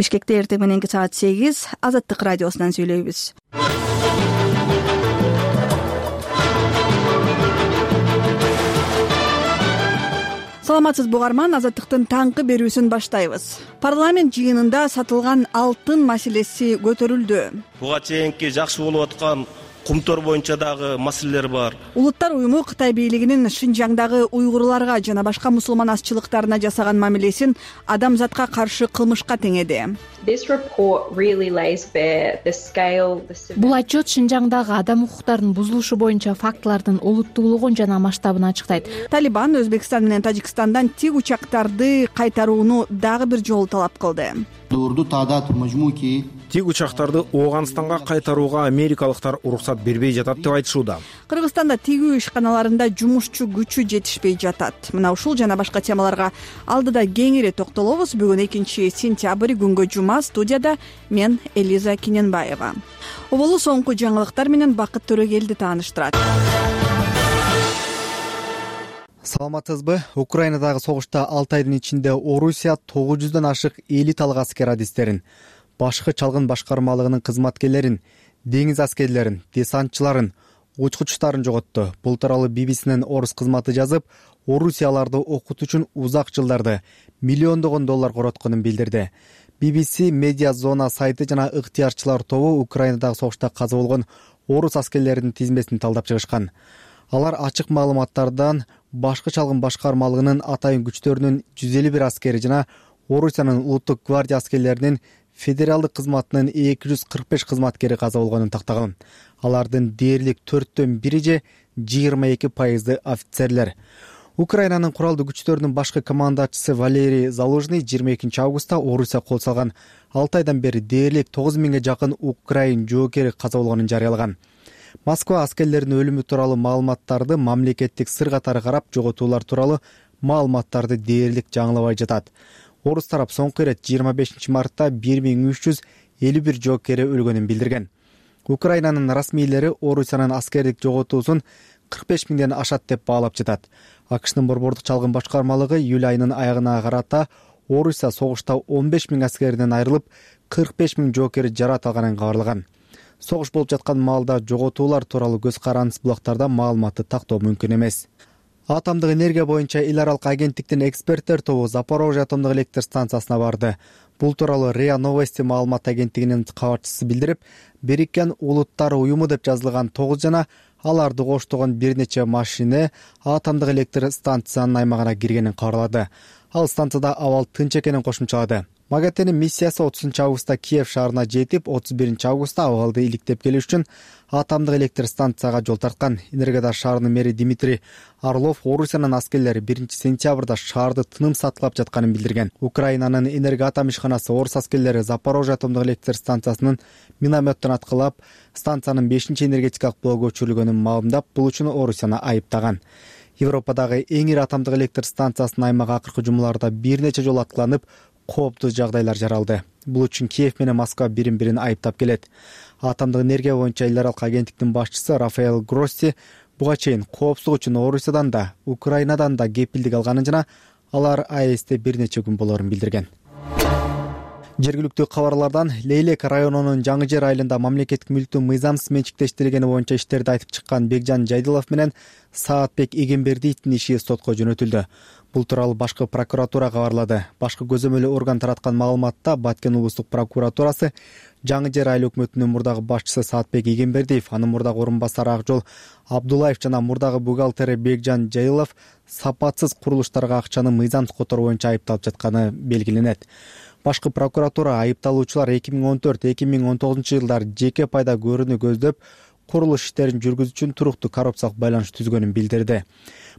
Бишкекте эртең мененки саат 8 Азаттык радиосунан сүйлөйбүз. Саламатсызбы угарман, Азаттыктын таңкы берүүсүн баштайбыз. Парламент жыйынында сатылган алтын маселеси көтөрүлдү. Буга чейинки жакшы болуп аткан кумтор боюнча дагы маселелер бар. Улуттар уюму Кытай бийлигинин Шинжаңдагы уйгурларга жана башка мусулман азчылыктарына жасаган мамилесин адамзатка каршы кылмышка теңеди. Бул отчет Шинжаңдагы адам укуктарынын бузулушу боюнча фактылардын олуттуулугун жана масштабын ачыктайт. Талибан Өзбекстан менен Тажикстандан тик учактарды кайтарууну дагы бир жолу талап кылды. Тик учактарды Ооганстанга кайтарууга америкалыктар уруксат бербей жатат деп айтышууда. Кыргызстанда тигүү ишканаларында жумушчу күчү жетишпей жатат. Мына ушул жана башка темаларга алдыда кеңири токтолобуз. Бүгүн 2-сентябрь күнгө жума, студияда мен Элиза Киненбаева. Оболу соңку жаңылыктар менен Бакыт Төрөгелди тааныштырат. Саламатсызбы? Украинадагы согушта 6 айдын ичинде Орусия 900дөн ашык элиталык аскер адистерин, башкы чалгын башкармалыгынын кызматкерлерин, деңиз аскерлерин, десантчыларын, учкучтарын жоготту. Бул тууралуу BBC-нин орус кызматы жазып, Орусия аларды окутуу үчүн узак жылдарды миллиондогон доллар коротконун билдирди. BBC медиа зона сайты жана ыктыярчылар тобу Украинадагы согушта каза болгон орус аскерлеринин тизмесин талдап чыгышкан. Алар ачык маалыматтардан башкы чалгын башкармалыгынын атайын күчтөрүнүн 151 аскери жана Орусиянын улуттук гвардия аскерлеринин федералдык кызматынын 245 кызматкери каза болгонун тактаган. Алардын дээрлик 4/1 же 22% офицерлер. Украинанын куралдуу күчтөрүнүн башкы командачысы Валерий Залужный 22 августта Орусия кол салган 6 айдан бери дээрлик 9000 жакын украин жоокери каза болгонун жарыялаган. Москва аскерлеринин өлүмү тууралуу маалыматтарды мамлекеттик сыр катары карап, жоготуулар тууралуу маалыматтарды дээрлик жаңылабай жатат. Орус тарап соңку ирет 25 мартта 1351 жоокери өлгөнүн билдирген. Украинанын расмийлери Орусиянын аскердик жоготуусун 45 миңден ашат деп баалап жатат. АКШнын борбордук чалгын башкармалыгы июль айынын аягына карата Орусия согушта 15 миң аскеринен айрылып, 45 миң жоокери жарат алганын кабарлаган. Согуш болуп жаткан маалда жоготуулар тууралуу көз карандысыз булактарда маалыматты тактоо мүмкүн эмес. Атомдук энергия боюнча эл аралык агенттиктин эксперттер тобу Запорожье атомдук электр станциясына барды. Бул тууралуу РИА Новости маалымат агенттигинин кабарчысы билдирип, Бириккен Улуттар уюму деп жазылган 9 жана аларды коштогон бир нече машина атомдук электр станциянын аймагына киргенин кабарлады. Ал станцияда абал тынч экенин кошумчалады. МАГАТЭнин миссиясы 30 августта Киев шаарына жетип, 31 августта абалды иликтеп келиш үчүн атомдук электр станцияга жол тарткан. Энергодар шаарынын мэри Дмитрий Орлов Орусиянын аскерлери 1 сентябрда шаарды тынымсатлап жатканын билдирген. Украинанын энергоатом ишканасы орус аскерлери Запорожье атомдук электр станциясынын минометтон аткылап, станциянын 5-энергетикалык блогу өчүрүлгөнүн маалымдап, бул үчүн Орусияны айыптаган. Европадагы эң ири атомдук электр станциясынын аймагы акыркы жумаларда бир нече жолу аткыланып, кооптуу жагдайлар жаралды. Бул үчүн Киев менен Москва бирин-бирин айыптап келет. Атомдук энергия боюнча эл аралык агенттиктин башчысы Рафаэль Гросси буга чейин коопсуздук үчүн Орусиядан да, Украинадан да кепилдик алганын жана алар АЭСте бир нече күн болорун билдирген. Жергиликтүү кабарлардан Лейлек районунун Жаңы Жер айылында мамлекеттик мүлктүн мыйзамсыз менчиктештирилгени боюнча иштерди айтып чыккан Бекжан Жайдылов менен Саатбек Эгембердиевдин иши сотко жөнөтүлдү. Бул тууралуу башкы прокуратура кабарлады. Башкы көзөмөлү орган тараткан маалыматта Баткен облустук прокуратурасы Жаңы Жер айыл өкмөтүнүн мурдагы башчысы Саатбек Эгембердиев, анын мурдагы орун басары Акжол Абдулаев жана мурдагы бухгалтери Бекжан Жайдылов сапатсыз курулуштарга акчаны мыйзамсыз которуу боюнча айыпталып жатканы белгиленет. Башкы прокуратура айыпталуучулар 2014-2019 жылдары жеке пайда көрүүнү көздөп, курулуш иштерин жүргүзүү үчүн туруктуу коррупциялык байланыш түзгөнүн билдирди.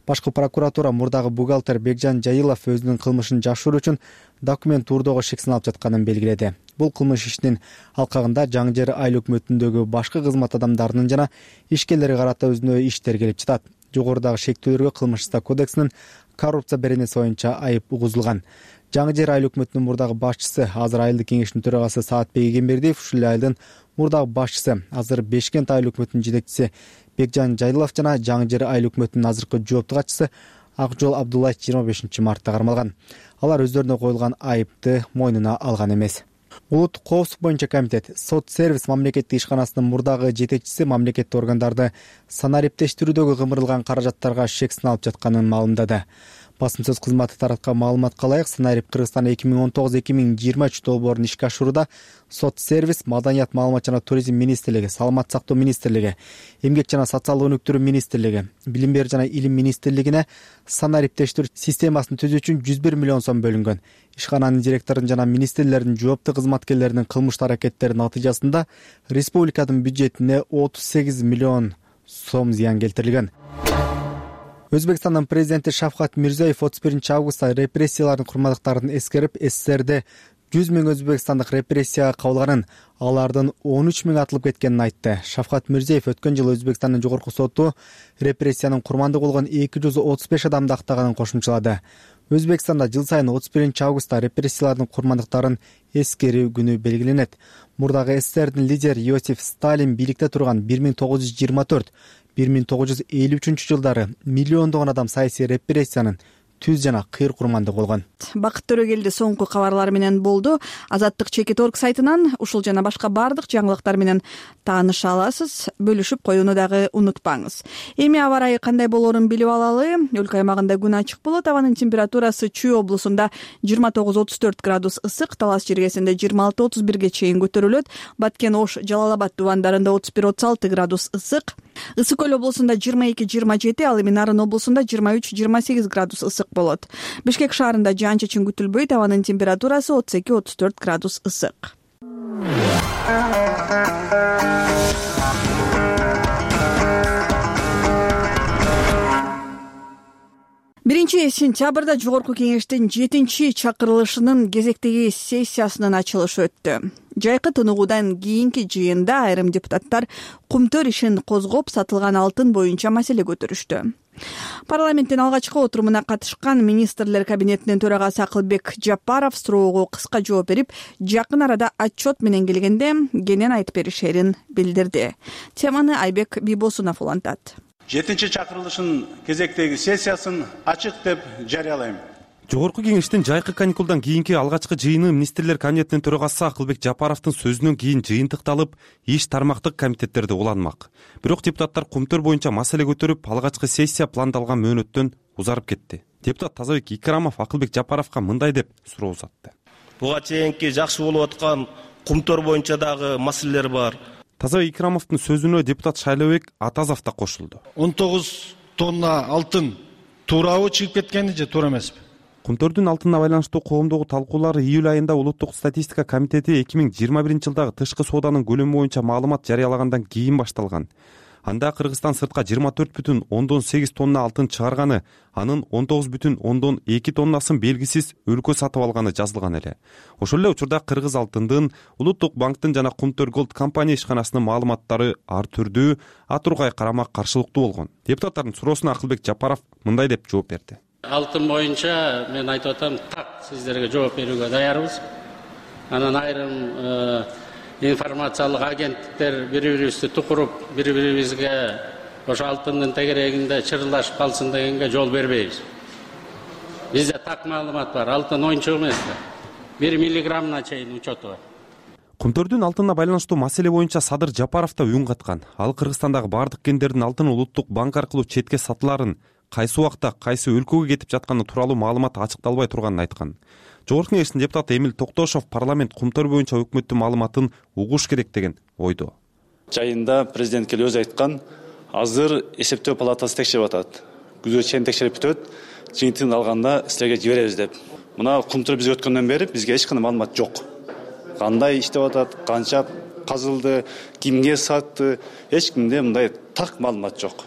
Башкы прокуратура мурдагы бухгалтер Бекжан Жайдылов өзүнүн кылмышын жашыруу үчүн документ турдоого шек сыналып жатканын белгиледи. Бул кылмыш ишинин алкагында Жаңы Жер айыл өкмөтүндөгү башкы кызмат адамдарынын жана ишкерлерге карата өзүнө иштер келип жатат. Жогорудагы шектүүлөргө кылмыш кодексинин коррупция беренеси боюнча айып угузулган. Жаңы Жер айыл өкмөтүнүн мурдагы башчысы, азыр айылдык кеңештин төрагасы Саатбек Эгембердиев, ушул айылдын мурдагы башчысы, азыр Бешкент айыл өкмөтүнүн жетекчиси Бекжан Жайдылов жана Жаңы Жер айыл өкмөтүнүн азыркы жоопту катчысы Акжол Абдулаев 25 мартта кармалган. Алар өздөрүнө коюлган айыпты мойнуна алган эмес. Улуттук коопсуздук боюнча комитет сот сервис мамлекеттик ишканасынын мурдагы жетекчиси мамлекеттик органдарды санариптештирүүдөгү кымырылган каражаттарга шек сыналып жатканын маалымдады. Басым сөз кызматы тараткан маалыматка ылайык, Санарип Кыргызстан 2019-2023 долбоорун ишке ашырууда сот сервис, Маданият, маалымат жана туризм министрлиги, Саламат сактоо министрлиги, Эмгек жана социалдык өнүктүрүү министрлиги, Билим берүү жана илим министрлигине санариптештирүү системасын түзүү үчүн 101 миллион сом бөлүнгөн. Ишкананын директорунун жана министрлердин жооптуу кызматкерлеринин кылмыштуу аракеттери натыйжасында республиканын бюджетине 38 миллион сом зыян келтирилген. Өзбекстандын президенти Шавкат Мирзиёев 31-августта репрессиялардын курмандыктарын эскерип, СССРде 100 000 өзбекстандык репрессияга кабылганын, алардын 13 000 атылып кеткенин айтты. Шавкат Мирзиёев өткөн жылы Өзбекстандын жогорку соту репрессиянын курмандыгы болгон 235 адамды актаганын кошумчалады. Өзбекстанда жыл сайын 31-августта репрессиялардын курмандыктарын эскерүү күнү белгиленет. Мурдагы СССРдин лидери Иосиф Сталин бийликте турган 1924-1953 жылдары миллиондогон адам саясий репрессиянын түз жана кыйыр курмандыгы болгон. Бакыт Төрөгелди соңку кабарлар менен болду. Азаттык Чекит.орг сайтынан ушул жана башка бардык жаңылыктар менен тааныша аласыз. Бөлүшүп коюуну дагы унутпаңыз. Эми аба ырайы кандай болоорун билип алалы. Өлкө аймагында күн ачык болот. Абанын температурасы Чүй облусунда 29-34 градус ысык, Талас жергесинде 26-31ге чейин көтөрүлөт. Баткен, Ош, Жалал-Абад дубандарында 31-36 градус ысык. Ысык Көл облусунда 22-27, ал эми Нарын облусунда 23-28 градус ысык болот. Бишкек шаарында жаан-чачын күтүлбөйт. Абанын температурасы 32-34 градус ысык. Биринчи сентябрда Жогорку кеңештин 7-чакырылышынын кезектеги сессиясынын ачылышы өттү. Жайкы тыныгуудан кийинки жыйында айрым депутаттар кумтөр ишин козгоп, сатылган алтын боюнча маселе көтөрүштү. Парламенттин алгачкы отурумуна катышкан министрлер кабинетинин төрагасы Акылбек Жапаров суроого кыска жооп берип, жакын арада отчет менен келгенде кенен айтып беришерин билдирди. Теманы Айбек Бибосунов улантат. 7-чакырылышынын кезектеги сессиясын ачык деп жарыялайм. Жогорку кеңештин жайкы каникулдан кийинки алгачкы жыйыны министрлер кабинетинин төрагасы Акылбек Жапаровдун сөзүнөн кийин жыйынтыкталып, иш тармактык комитеттерде уланмак. Бирок депутаттар кумтөр боюнча маселе көтөрүп, алгачкы сессия пландалган мөөнөттөн узарып кетти. Депутат Тазабек Икрамов Акылбек Жапаровго мындай деп суроо узатты. Буга чейинки жакшы болуп аткан кумтөр боюнча дагы маселелер бар. Тазабек Икрамовдун сөзүнө депутат Шайлообек Атазов да кошулду. 19 тонна алтын туурабы чыгып кеткени же туура эмеспи? Кумтөрдүн алтынына байланыштуу коомдогу талкуулар июль айында Улуттук статистика комитети 2021 жылдагы тышкы сооданын көлөмү боюнча маалымат жарыялагандан кийин башталган. Анда Кыргызстан сыртка 24,8 тонна алтын чыгарганы, анын 19,2 тоннасын белгисиз өлкө сатып алганы жазылган эле. Ошол эле учурда Кыргыз алтындын Улуттук банктын жана Кумтөр Голд компания ишканасынын маалыматтары ар түрдүү, атургай карама каршылыктуу болгон. Депутаттардын суроосуна Акылбек Жапаров мындай деп жооп берди. Алтын боюнча мен айтып атам, так сиздерге жооп берүүгө даярбыз. Анан айрым информациялык агенттиктер бири-бирибизди тукуруп, бири-бирибизге ошо алтындын тегерегинде чырылдашып калсын дегенге жол бербейбиз. Бизде так маалымат бар, алтын оюнчук эмес да. 1 миллиграммына чейин учету бар. Кумтөрдүн алтынына байланыштуу маселе боюнча Садыр Жапаров да үн каткан. Ал Кыргызстандагы бардык кендердин алтын Улуттук банк аркылуу четке сатыларын, кайсы убакта кайсы өлкөгө кетип жатканы тууралуу маалымат ачыкталбай турганын айткан. Жогорку кеңештин депутаты Эмил Токтошов парламент кумтөр боюнча өкмөттүн маалыматын угуш керек деген ойдо. Жайында президент келип өзү айткан, азыр эсептөө палатасы текшерип атат. Күзгө чейин текшерип бүтөт, жыйынтыгын алганда силерге жиберебиз деп. Мына кумтөр бизге өткөндөн бери бизге эч кандай маалымат жок. Кандай иштеп атат, канча казылды, кимге сатты, эч кимде мындай так маалымат жок.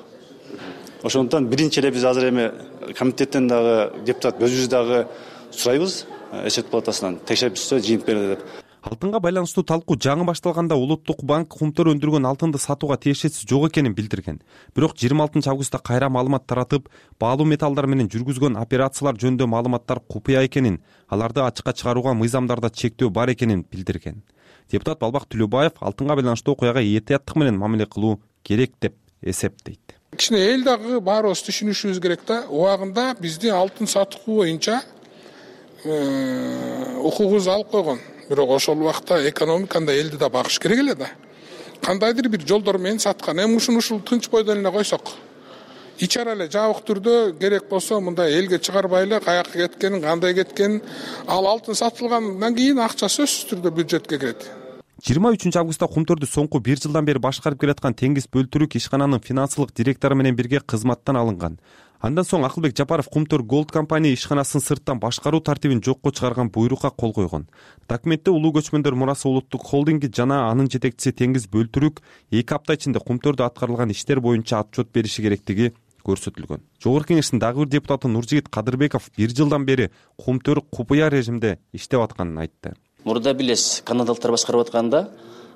Ошондуктан биринчи эле биз азыр эми комитеттен дагы депутат өзүбүз дагы сурайбыз, эсеп палатасынан текшерип түшсө жыйынтык берди деп. Алтынга байланыштуу талкуу жаңы башталганда Улуттук банк кумтөр өндүргөн алтынды сатууга тиешеси жок экенин билдирген. Бирок 26-августта кайра маалымат таратып, баалуу металлдар менен жүргүзгөн операциялар жөнүндө маалыматтар купуя экенин, аларды ачыкка чыгарууга мыйзамдарда чектөө бар экенин билдирген. Депутат Балбак Түлөбаев алтынга байланыштуу окуяга этияттык менен мамиле кылуу керек деп эсептейт. Кичине эл дагы баарыбыз түшүнүшүбүз керек да. Убагында бизди алтын сатуу боюнча укугубуз алып койгон. бирок ошол убакта экономиканы да элди да багыш керек эле да. Кандайдыр бир жолдор менен саткан. Эми ушул тынч бойдон эле койсок, ичара эле жабык түрдө керек болсо мындай элге чыгарбай эле каяка кеткенин, кандай кеткенин, ал алтын сатылгандан кийин акча сөзсүз түрдө бюджетке кирет. 23 августта Кумтөрдү соңку 1 жылдан бери башкарып келаткан Теңиз Бөлтүрүк ишкананын финансылык директору менен бирге кызматтан алынган. Андан соң Акылбек Жапаров Кумтөр Голд компания ишканасын сырттан башкаруу тартибин жокко чыгарган буйрукка кол койгон. Документте Улуу көчмөндөр мурасы улуттук холдинги жана анын жетекчиси Теңиз Бөлтүрүк 2 апта ичинде Кумтөрдө аткарылган иштер боюнча отчет бериши керектиги көрсөтүлгөн. Жогорку Кеңештин дагы бир депутаты Нуржигит Кадырбеков 1 жылдан бери Кумтөр купуя режимде иштеп атканын айтты. Мурда билесиз, канадалыктар башкарып атканда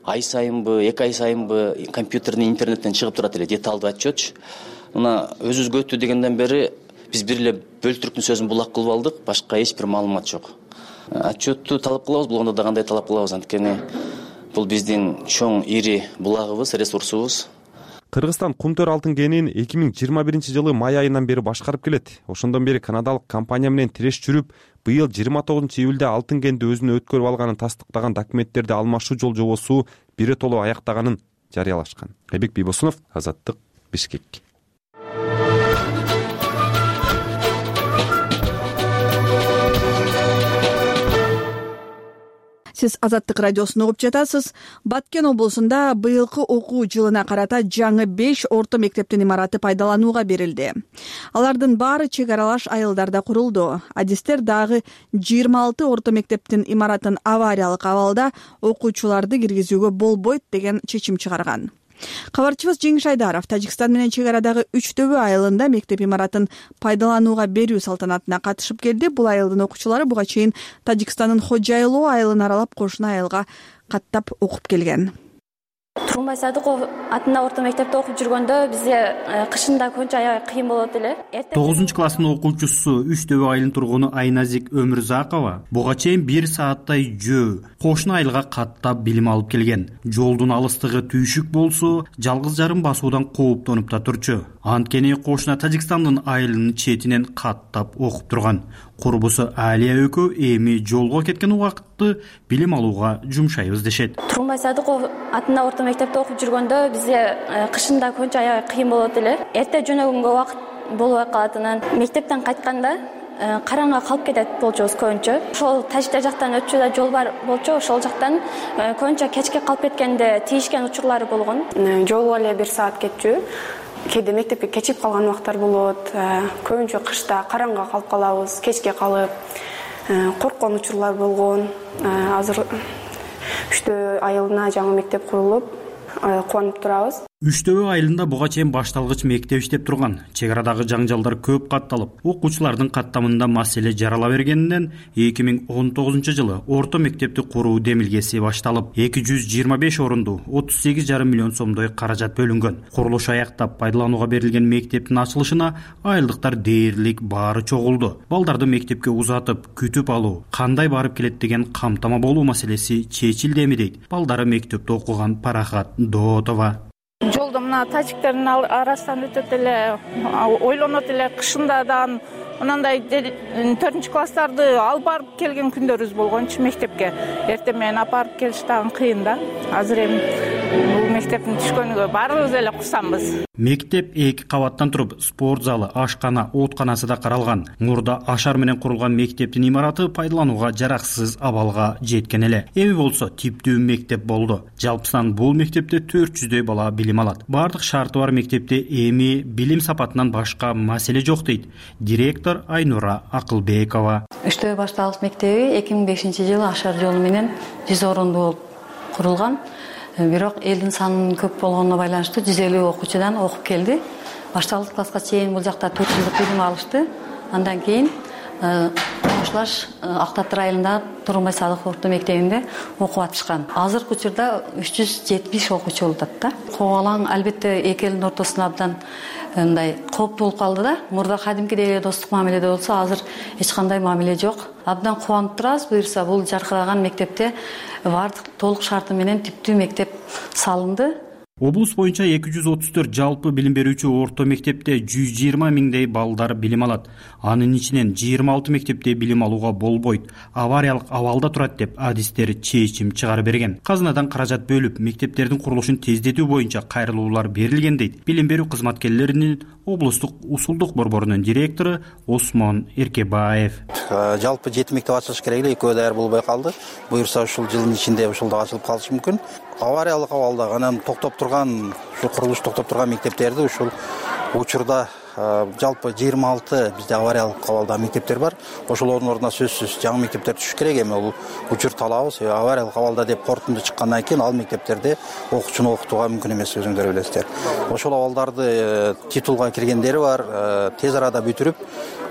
ай сайынбы, 2 ай сайынбы компьютерден, интернеттен чыгып турат эле деталдуу отчет. Мына өзүбүзгө өттү дегенден бери биз бир эле Бөлтүрүктүн сөзүн булак кылып алдык, башка эч бир маалымат жок. Отчетту талап кылабыз, болгондо да кандай талап кылабыз, анткени бул биздин чоң ири булагыбыз, ресурсубуз. Кыргызстан Кумтөр алтын кенин 2021 жылы май айынан бери башкарып келет. Ошондон бери канадалык компания менен тиреш жүрүп, быйыл 29 июлда алтын кенди өзүнө өткөрүп алганын тастыктаган документтерди алмашуу жол жобосу биротоло аяктаганын жарыялашкан. Айбек Бийбосунов, Азаттык, Бишкек. Сиз Азаттык радиосун угуп жатасыз. Баткен облусунда быйылкы окуу жылына карата жаңы 5 орто мектептин имараты пайдаланууга берилди. Алардын баары чек аралаш айылдарда курулду. Адистер дагы 26 орто мектептин имаратын авариялык абалда окуучуларды киргизүүгө болбойт деген чечим чыгарган. Кабарчыбыз Жеңиш Айдаров Тажикстан менен чек арадагы Үчтөбө айылында мектеп имаратын пайдаланууга берүү салтанатына катышып келди. Бул айылдын окуучулары буга чейин Тажикстандын Хожайлоо айылын аралап, кошуна айылга каттап окуп келген. Тургунбай Садыков атында орто мектепте окуп жүргөндө бизге кышында көңчө аябай кыйын болот эле. 9 класстын окуучусу Үчтөбө айылынын тургуну Айназик Өмүрзакова буга чейин 1 сааттай жөө кошуна айылга каттап билим алып келген. Жолдун алыстыгы түйшүк болсо, жалгыз жарым басуудан кооптонуп да турчу. Анткени кошуна Тажикстандын айылынын четинен каттап окуп турган. Курбусу Алия экөө эми жолго кеткен убакытты билим алууга жумшайбыз дешет. Тургунбай Садыков атында орто мектепте окуп жүргөндө бизге кышында көңчө аябай кыйын болот эле. Эрте жөнөгөнгө убакыт болбой калатынын, мектептен кайтканда караңга калып кетет болчубуз көбүнчө. Ошол Тажикстан жактан өтчү да жол бар болчу, ошол жактан көбүнчө кечке калып кеткенде тийишкен учурлары болгон. Жолго эле 1 саат кетчү. Кээде мектепке кечип калган убактар болот. Көбүнчө кышта караңга калып калабыз, кечке калып, корккон учурлар болгон. Азыр Үчтөбө айылына жаңы мектеп курулуп, кубанып турабыз. Үчтөбө айылында буга чейин башталгыч мектеп иштеп турган. Чек арадагы жаңжалдар көп катталып, окуучулардын каттамында маселе жарала бергенден 2019 жылы орто мектепти куруу демилгеси башталып, 225 орунду 38,5 миллион сомдой каражат бөлүнгөн. Курулуш аяктап пайдаланууга берилген мектептин ачылышына айылдыктар дээрлик баары чогулду. Балдарды мектепке узатып, күтүп алуу, кандай барып келет деген камтама болуу маселеси чечилдеми дейт балдары мектепте окуган Парахат Доотова. Жолдо мына тажиктердин арасынан өтөт эле, ойлонот эле, кышында да мынандай 4-класстарды алып барып келген күндөрүбүз болгончу мектепке. Эртең менен алып барып келиш дагы кыйын да. Азыр эми бул мектептин түшкөнүгө баарыбыз эле курсанбыз. Мектеп 2 кабаттан туруп, спорт залы, ашкана, оотканасы да каралган. Мурда ашар менен курулган мектептин имараты пайдаланууга жараксыз абалга жеткен эле. Эми болсо типтүү мектеп болду. Жалпысынан бул мектепте 400дөй бала билим алат. Бардык шарты бар мектепте эми билим сапатынан башка маселе жок дейт директор Айнура Акылбекова. Үчтөбө башталгыч мектеби 2005 жылы ашар жолу менен 100 орундуу болуп курулган. Бирок элдин санынын көп болгонуна байланыштуу 150 окуучудан окуп келди. Башталгыч класска чейин бул жакта 4 жылдык билим алышты. Андан кийин Кошлаш Актатыр айылында Тургунбай Садыков орто мектебинде окуп атышкан. Азыркы учурда 370 окуучу болуп атат. Кобалаң албетте эки элдин ортосуна абдан мындай кооптуу болуп калды да. Мурда кадимкидей эле достук мамиледе болсо, азыр эч кандай мамиле жок. Абдан кубанып турабыз. Буюрса бул жаркыраган мектепте бардык толук шарты менен типтүү мектеп салынды. Облус боюнча 234 жалпы билим берүүчү орто мектепте 120 миңдей балдар билим алат. Анын ичинен 26 мектепте билим алууга болбойт, авариялык абалда турат деп адистер чечим чыгарып берген. Казынадан каражат бөлүп, мектептердин курулушун тездетүү боюнча кайрылуулар берилген дейт билим берүү кызматкерлеринин облустук усулдук борборунун директору Осмон Эркебаев. Жалпы 7 мектеп ачылыш керек эле, экөө даяр болбой калды. Буюрса ушул жылдын ичинде ушулда ачылып калышы мүмкүн. Авариялык абалда анан токтоп турган, ушу курулуш токтоп турган мектептерди ушул учурда жалпы 26 бизде авариялык абалда мектептер бар. Ошолордун ордуна сөзсүз жаңы мектептер түшүш керек. Эми бул учурду алабыз. Авариялык абалда деп корутунду чыккандан кийин ал мектептерде окуучуну окутууга мүмкүн эмес, өзүңдөр билесиздер. Ошол абалдарды титулга киргендери бар. Тез арада бүтүрүп,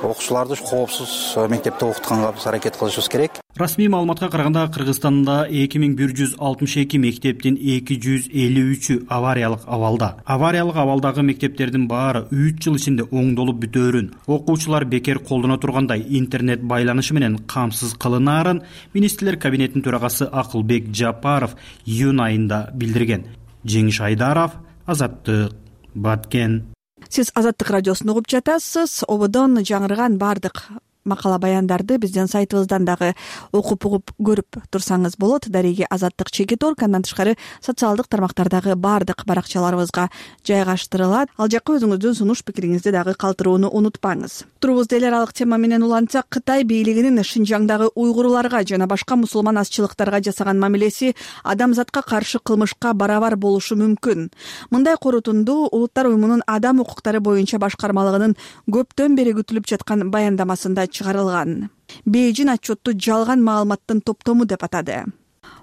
окуучуларды коопсуз мектепте окутканга биз аракет кылышыбыз керек. Расмий маалыматка караганда Кыргызстанда 2162 мектептин 253-ü авариялык абалда. Авариялык абалдагы мектептердин баары 3 жыл ичинде оңдолуп бүтөөрүн, окуучулар бекер колдоно тургандай интернет байланышы менен камсыз кылынаарын министрлер кабинетинин төрагасы Акылбек Жапаров июнь айында билдирген. Жеңиш Айдаров, Азаттык, Баткен. Сиз Азаттык радиосун угуп жатасыз. Ободон жаңырган бардык макала баяндарды биздин сайтыбыздан дагы окуп угуп көрүп турсаңыз болот. Дареги Азаттык Чекит.org, андан тышкары социалдык тармактардагы бардык баракчаларыбызга жайгаштырылат. Ал жакка өзүңүздүн сунуш пикириңизди дагы калтырууну унутпаңыз. Турубузда эл аралык тема менен улантсак, Кытай бийлигинин Шинжаңдагы уйгурларга жана башка мусулман азчылыктарга жасаган мамилеси адамзатка каршы кылмышка барабар болушу мүмкүн. Мындай корутунду Улуттар уюмунун адам укуктары боюнча башкармалыгынын көптөн бери күтүлүп жаткан баяндамасында чыгарылган. Бейжин отчетту жалган маалыматтын топтому деп атады.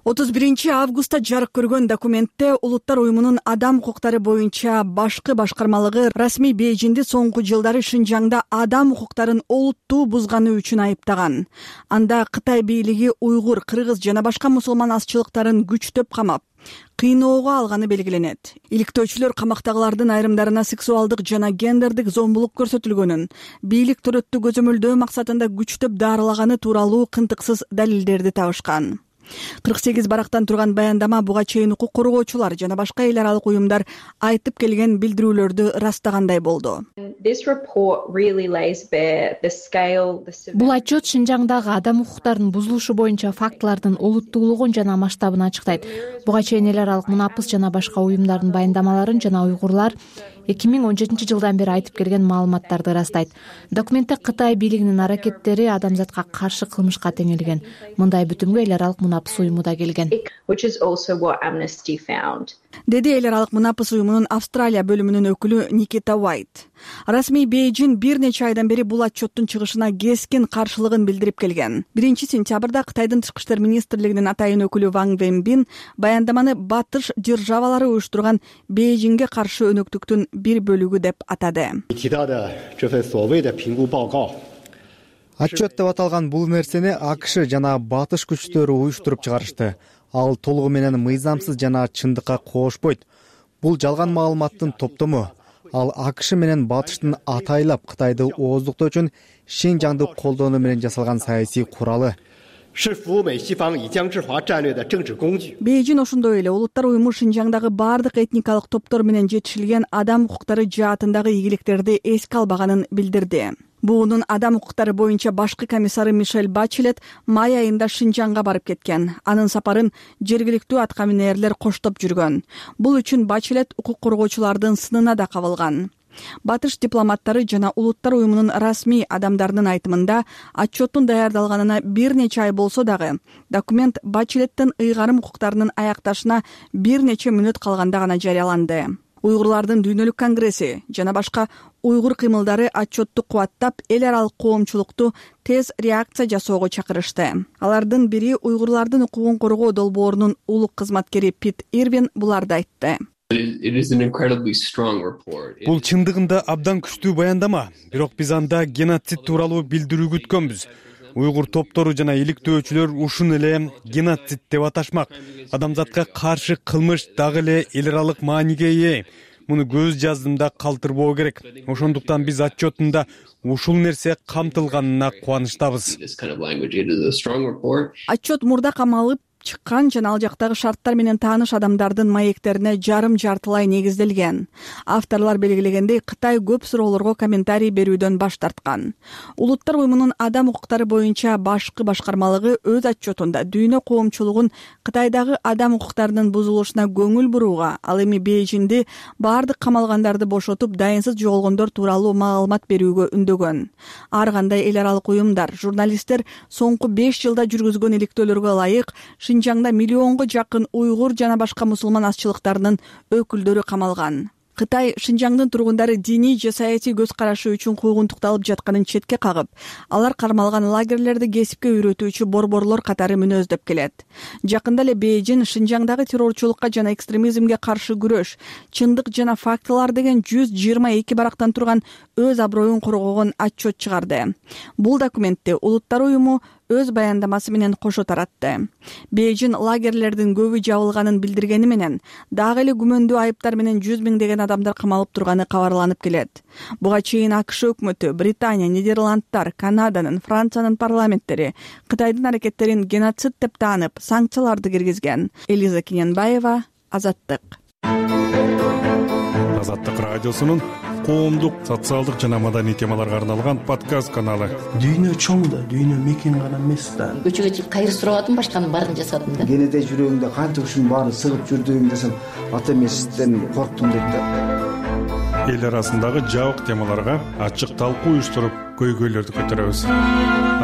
31 августта жарык көргөн документте Улуттар уюмунун адам укуктары боюнча башкы башкармалыгы расмий Бейжинди соңку жылдары Шинжаңда адам укуктарын олуттуу бузганы үчүн айыптаган. Анда Кытай бийлиги уйгур, кыргыз жана башка мусулман азчылыктарын күчтөп камап, кыйноого алганы белгиленет. Иликтөөчүлөр камактагылардын айрымдарына сексуалдык жана гендердик зомбулук көрсөтүлгөнүн, бийлик төрөттү көзөмөлдөө максатында күчтөп дарылаганы тууралуу кынтыксыз далилдерди табышкан. 48 барактан турган баяндама буга чейин укук коргоочулар жана башка эл аралык уюмдар айтып келген билдирүүлөрдү ырастагандай болду. Бул отчет Шинжаңдагы адам укуктарынын бузулушу боюнча фактылардын олуттуулугун жана масштабын ачыктайт. Буга чейин эл аралык Мунапыс жана башка уюмдардын баяндамаларын жана уйгурлар 2017 жылдан бери айтып келген маалыматтарды ырастайт. Документте Кытай бийлигинин аракеттери адамзатка каршы кылмышка теңелген. Мындай бүтүмгө эл аралык Мунапыс уюму да келген. Деди эл аралык Мунапыс уюмунун Австралия бөлүмүнүн өкүлү Никита Уайт. Расмий Бейжин бир нече айдан бери бул отчеттун чыгышына кескин каршылыгын билдирип келген. 1-сентябрда Кытайдын тышкы иштер министрлигинин атайын өкүлү Ван Венбин баяндаманы батыш державалары уюштурган Бейжинге каршы өнөктүктүн бир бөлүгү деп атады. Отчет деп аталган бул нерсени АКШ жана батыш күчтөрү уюштуруп чыгарышты. Ал толугу менен мыйзамсыз жана чындыкка коошпойт. Бул жалган маалыматтын топтому. Ал АКШ менен батыштын атайлап Кытайды ооздуктоо үчүн Шинжаңды колдонуу менен жасалган саясий куралы. Бейжин ошондой эле Улуттар уюму Шинжаңдагы бардык этникалык топтор менен жетишилген адам укуктары жаатындагы ийгиликтерди эске албаганын билдирди. БУнун адам укуктары боюнча башкы комиссары Мишель Бачелет май айында Шинжаңга барып кеткен. Анын сапарын жергиликтүү аткаминерлер коштоп жүргөн. Бул үчүн Бачелет укук коргоочулардын сынына да кабылган. Батыш дипломаттары жана Улуттар уюмунун расмий адамдарынын айтымында отчеттун даярдалганына бир нече ай болсо дагы документ Бачелеттин ыйгарым укуктарынын аякташына бир нече мүнөт калганда гана жарыяланды. Уйгурлардын дүйнөлүк конгресси жана башка уйгур кыймылдары отчетту кубаттап эл аралык коомчулукту тез реакция жасоого чакырышты. Алардын бири уйгурлардын укугун коргоо долбоорунун улук кызматкери Пит Ирвин буларды айтты. Бул чындыгында абдан күчтүү баяндама, бирок биз анда геноцид тууралуу билдирүү күткөнбүз. Уйгур топтору жана иликтөөчүлөр ушуну эле геноцид деп аташмак. Адамзатка каршы кылмыш дагы эле эл аралык мааниге ээ. Муну көз жаздымда калтырбоо керек. Ошондуктан биз отчетунда ушул нерсе камтылганына кубанычтабыз. Отчет мурда камалып чыккан жана ал жактагы шарттар менен тааныш адамдардын маектерине жарым-жартылай негизделген. Авторлор белгилегендей, Кытай көп суроолорго комментарий берүүдөн баш тарткан. Улуттар уюмунун адам укуктары боюнча башкы башкармалыгы өз отчетунда дүйнө коомчулугун Кытайдагы адам укуктарынын бузулушуна көңүл бурууга, ал эми Бейжинди баардык камалгандарды бошотуп, дайынсыз жоголгондор тууралуу маалымат берүүгө үндөгөн. Ар кандай эл аралык уюмдар, журналисттер соңку 5 жылда жүргүзгөн иликтөөлөргө ылайык Шинжаңда миллионго жакын уйгур жана башка мусулман азчылыктарынын өкүлдөрү камалган. Кытай Шинжаңдын тургундары диний же саясий көз карашы үчүн куугунтукталып жатканын четке кагып, алар кармалган лагерлерди кесипке үйрөтүүчү борборлор катары мүнөздөп келет. Жакында эле Бейжин Шинжаңдагы террорчулукка жана экстремизмге каршы күрөш, чындык жана фактылар деген 122 барактан турган өз аброюн коргогон отчет чыгарды. Бул документти Улуттар уюму өз баяндамасы менен кошо таратты. Бейжин лагерлердин көбү жабылганын билдиргени менен, дагы эле күмөндүү айыптар менен 100 миңдеген адамдар камалып турганы кабарланып келет. Буга чейин АКШ өкмөтү, Британия, Нидерландтар, Канаданын, Франциянын парламенттери Кытайдын аракеттерин геноцид деп таанып, санкцияларды киргизген. Элиза Кененбаева, Азаттык. Азаттык радиосунун коомдук, социалдык жана маданий темаларга арналган подкаст каналы. Дүйнө чоң да, дүйнө мекен гана эмес да. Көчөгө чыгып кайыр сурабадым, башканын баарын жасадым да. Кенеде жүрөгүңдө канча ушунун баарын сыгып жүрдүң десем, ата эмесизден корктум дейт да. Эл арасындагы жабык темаларга ачык талкуу уюштуруп, көйгөйлөрдү көтөрөбүз.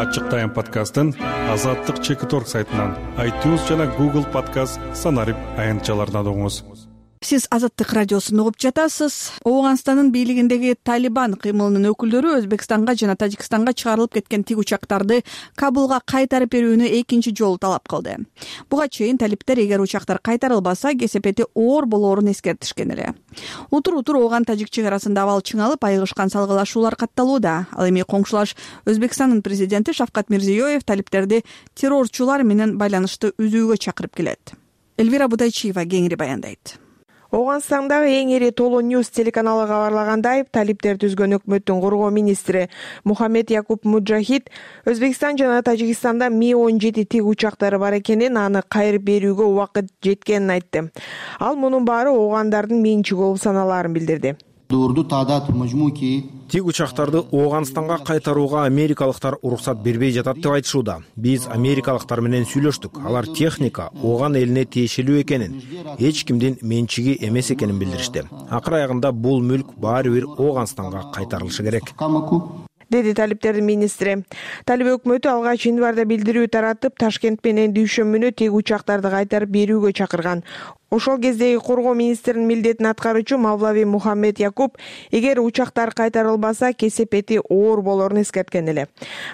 Ачык тайм подкастын Азаттык Чекиторг сайтынан, iTunes жана Google Podcast санарип аянтчаларынан угуңуз. Сиз Азаттык радиосун угуп жатасыз. Ооганстандын бийлигиндеги Талибан кыймылынын өкүлдөрү Өзбекстанга жана Тажикстанга чыгарылып кеткен тик учактарды Кабулга кайтарып берүүнү экинчи жолу талап кылды. Буга чейин талиптер эгер учактар кайтарылбаса, кесепети оор болоорун эскертишкен эле. Утур-утур Ооган-Тажик чек арасында абал чыңалып, айыгышкан салгылашуулар катталууда. Ал эми коңшулаш Өзбекстандын президенти Шавкат Мирзиёев талиптерди террорчулар менен байланышты үзүүгө чакырып келет. Элвира Будайчиева кеңири баяндайт. Ооганстандагы эң ири Толо Ньюс телеканалы кабарлагандай, талиптер түзгөн өкмөттүн коргоо министри Мухаммед Якуб Муджахид Өзбекстан жана Тажикстанда Ми-17 тик учактары бар экенин, аны кайрып берүүгө убакыт жеткенин айтты. Ал мунун баары оогандардын менчиги болуп саналаарын билдирди. Тик учактарды Ооганстанга кайтарууга америкалыктар уруксат бербей жатат деп айтышууда. Биз америкалыктар менен сүйлөштүк. Алар техника Ооган элине тиешелүү экенин, эч кимдин менчиги эмес экенин билдиришти. Акыр аягында бул мүлк баары бир Ооганстанга кайтарылышы керек, деди талиптердин министри. Талиб өкмөтү алгач январда билдирүү таратып, Ташкент менен дүйшөмбүнү тик учактарды кайтарып берүүгө чакырган. Ошол кездеги коргоо министринин милдетин аткаруучу Мавлави Мухаммед Якуб эгер учактар кайтарылбаса, кесепети оор болоорун эскерткен эле.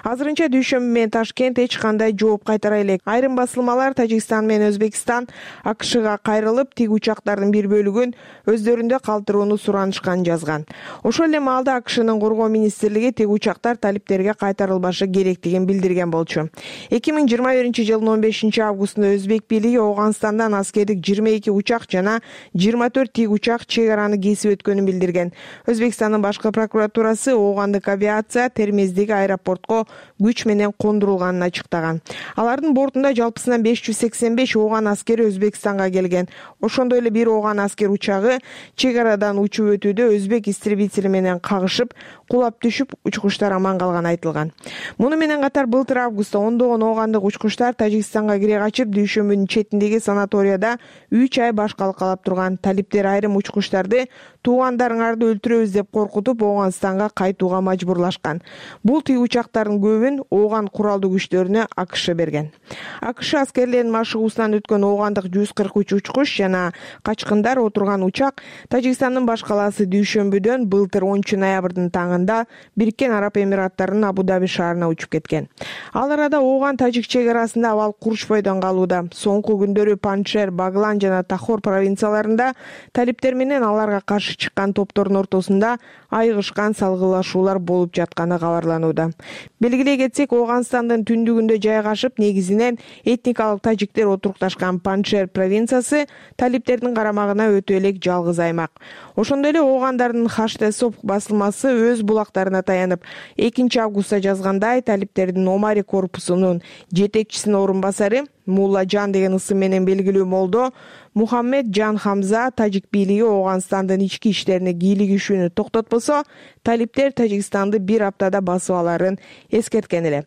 Азырынча дүйшөмбү менен Ташкент эч кандай жооп кайтара элек. Айрым басылмалар Тажикстан менен Өзбекстан АКШга кайрылып, тик учактардын бир бөлүгүн өздөрүндө калтырууну суранышканын жазган. Ошол эле маалда АКШнын коргоо министрлиги тик учактар талиптерге кайтарылбашы керектигин билдирген болчу. 2021-жылдын 15-августунда Өзбек бийлиги Ооганстандан аскердик 22 учак жана 24 тик учак чек араны кесип өткөнүн билдирген. Өзбекстандын башкы прокуратурасы оогандык авиация Термиздеги аэропортко күч менен кондурулганын ачыктаган. Алардын бортунда жалпысынан 585 ооган аскери Өзбекстанга келген. Ошондой эле бир ооган аскер учагы чек арадан учуп өтүүдө өзбек истребители менен кагышып, кулап түшүп, учкучтар аман калганы айтылган. Муну менен катар былтыр августта ондогон оогандык учкучтар Тажикстанга кире качып, дүйшөмбүнүн четиндеги санаторияда 3 ай баш калкалап турган. Талиптер айрым учкучтарды туугандарыңарды өлтүрөбүз деп коркутуп, Ооганстанга кайтууга мажбурлашкан. Бул тик учактардын көбүн Ооган куралдуу күчтөрүнө АКШ берген. АКШ аскерлеринин машыгуусунан өткөн оогандык 143 учкуч жана качкындар отурган учак Тажикстандын баш калаасы дүйшөмбүдөн былтыр 10 ноябрдын таңында Бириккен Араб Эмираттарынын Абу-Даби шаарына учуп кеткен. Ал арада Ооган-Тажик чек арасында абал курушпойдон калууда. Соңку күндөрү Паншер, Баглан жана Тахор провинцияларында талиптер менен аларга каршы чыккан топтордун ортосунда айыгышкан салгылашуулар болуп жатканы кабарланууда. Белгилей кетсек, Ооганстандын түндүгүндө жайгашып, негизинен этникалык тажиктер отурукташкан Паншер провинциясы талиптердин карамагына өтө элек жалгыз аймак. Ошондой эле оогандардын Хаштесоп басылмасы өз булактарына таянып, 2 августта жазгандай, талиптердин Омари корпусунун жетекчисинин орун басары Муллажан деген ысым менен белгилүү молдо Мухаммед Жан Хамза тажик бийлиги Ооганстандын ички иштерине кийлигишүүнү токтотпосо, талиптер Тажикстанды бир аптада басып аларын эскерткен эле.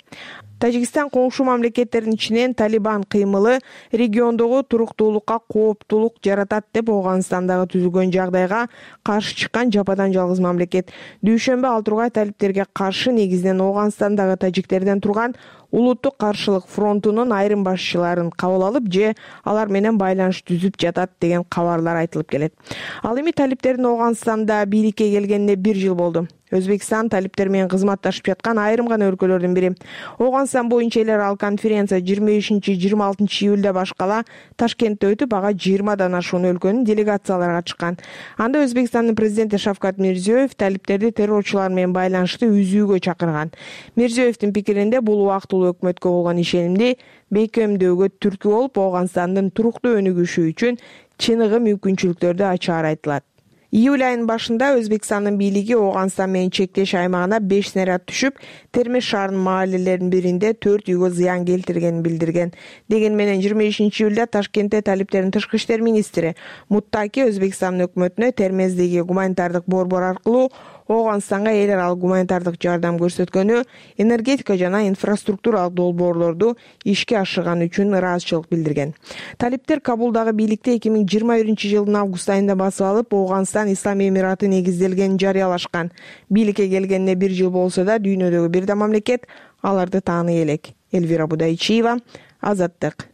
Тажикстан коңшу мамлекеттердин ичинен Талибан кыймылы региондогу туруктуулукка кооптулук жаратат деп Ооганстандагы түзүлгөн жагдайга каршы чыккан жападан жалгыз мамлекет. Дүйшөмбү ал тургай талиптерге каршы негизинен Ооганстандагы тажиктерден турган улуттук каршылык фронтунун айрым башчыларын кабыл алып же алар менен байланыш түзүп жатат деген кабарлар айтылып келет. Ал эми талиптердин Ооганстанда бийликке келгенине 1 жыл болду. Өзбекстан талиптер менен кызматташып жаткан айрым гана өлкөлөрдүн бири. Ооганстан боюнча эл аралык конференция 25-26 июлда башкала Ташкентте өтүп, ага 20дан ашуун өлкөнүн делегациялары катышкан. Анда Өзбекстандын президенти Шавкат Мирзиёев талиптерди террорчулар менен байланышты үзүүгө чакырган. Мирзиёевдин пикиринде бул убактылуу өкмөткө болгон ишенимди бейкемдөөгө түрткү болуп, Ооганстандын туруктуу өнүгүшү үчүн чыныгы мүмкүнчүлүктөрдү ачаары айтылат. Июль айынын башында Өзбекстандын бийлиги Ооганстан менен чектеш аймагына 5 снаряд түшүп, Термеш шаарынын маалелеринин биринде 4 үйгө зыян келтиргенин билдирген. Деген менен 25 июлда Ташкентте талиптердин тышкы иштер министри Муттаки Өзбекстандын өкмөтүнө Термездеги гуманитардык борбор аркылуу Ооганстанга эл аралык гуманитардык жардам көрсөткөнү, энергетика жана инфраструктуралык долбоорлорду ишке ашырган үчүн ыраазычылык билдирген. Талиптер Кабулдагы бийликти 2021 жылдын август айында басып алып, Ооганстан Ислам Эмираты негизделгенин жарыялашкан. Бийликке келгенине 1 жыл болсо да, дүйнөдөгү бир да мамлекет аларды тааный элек. Элвира Будайчиева, Азаттык.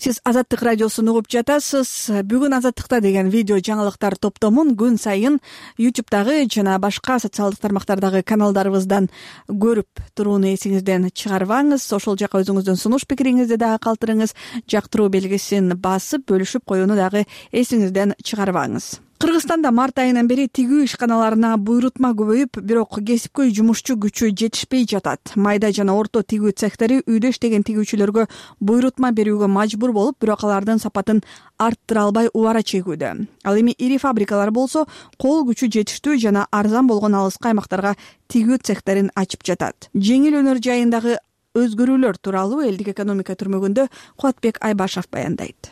Сиз Азаттык радиосун угуп жатасыз. Бүгүн Азаттыкта деген видео жаңылыктар топтомун күн сайын YouTube'дагы жана башка социалдык тармактардагы каналдарыбыздан көрүп турууну эсиңизден чыгарбаңыз. Ошол жака өзүңүздүн сунуш пикириңизди дагы калтырыңыз. Жактыруу белгисин басып, бөлүшүп коюуну дагы эсиңизден чыгарбаңыз. Кыргызстанда март айынан бери тигүү ишканаларына буйрутма көбөйүп, бирок кесипкөй жумушчу күчү жетишпей жатат. Майда жана орто тигүү цехтери үйдө иштеген тигүүчүлөргө буйрутма берүүгө мажбур болуп, бирок алардын сапатын арттыра албай убара чегүүдө. Ал эми ири фабрикалар болсо кол күчү жетиштүү жана арзан болгон алыскы аймактарга тигүү цехтерин ачып жатат. Жеңил өнөр жайындагы өзгөрүүлөр тууралуу элдик экономика түрмөгүндө Кубатбек Айбашев баяндайт.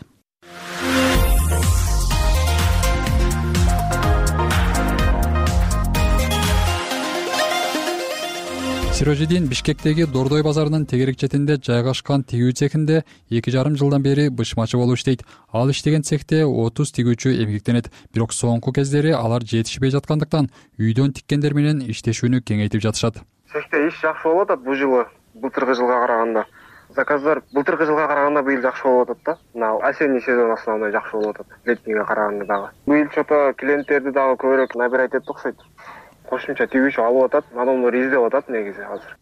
Сирожидин Бишкектеги Дордой базарынын тегерек четинде жайгашкан тигүү цехинде 2,5 жылдан бери бышмачы болуп иштейт. Ал иштеген цехте 30 тигүүчү эмгектенет. Бирок соңку кездери алар жетишпей жаткандыктан үйдөн тиккендер менен иштешүүнү кеңейтип жатышат. Цехте иш жакшы болуп атат бул жылы былтыркы жылга караганда. Заказдар былтыркы жылга караганда быйыл жакшы болуп атат да. Мына осенний сезон основной жакшы болуп атат. Летнийге караганда дагы. Быйыл чото клиенттерди дагы көбүрөөк набирать этип окшойт. Кошумча тигүүчү алып атат, адамдар издеп атат негизи азыр.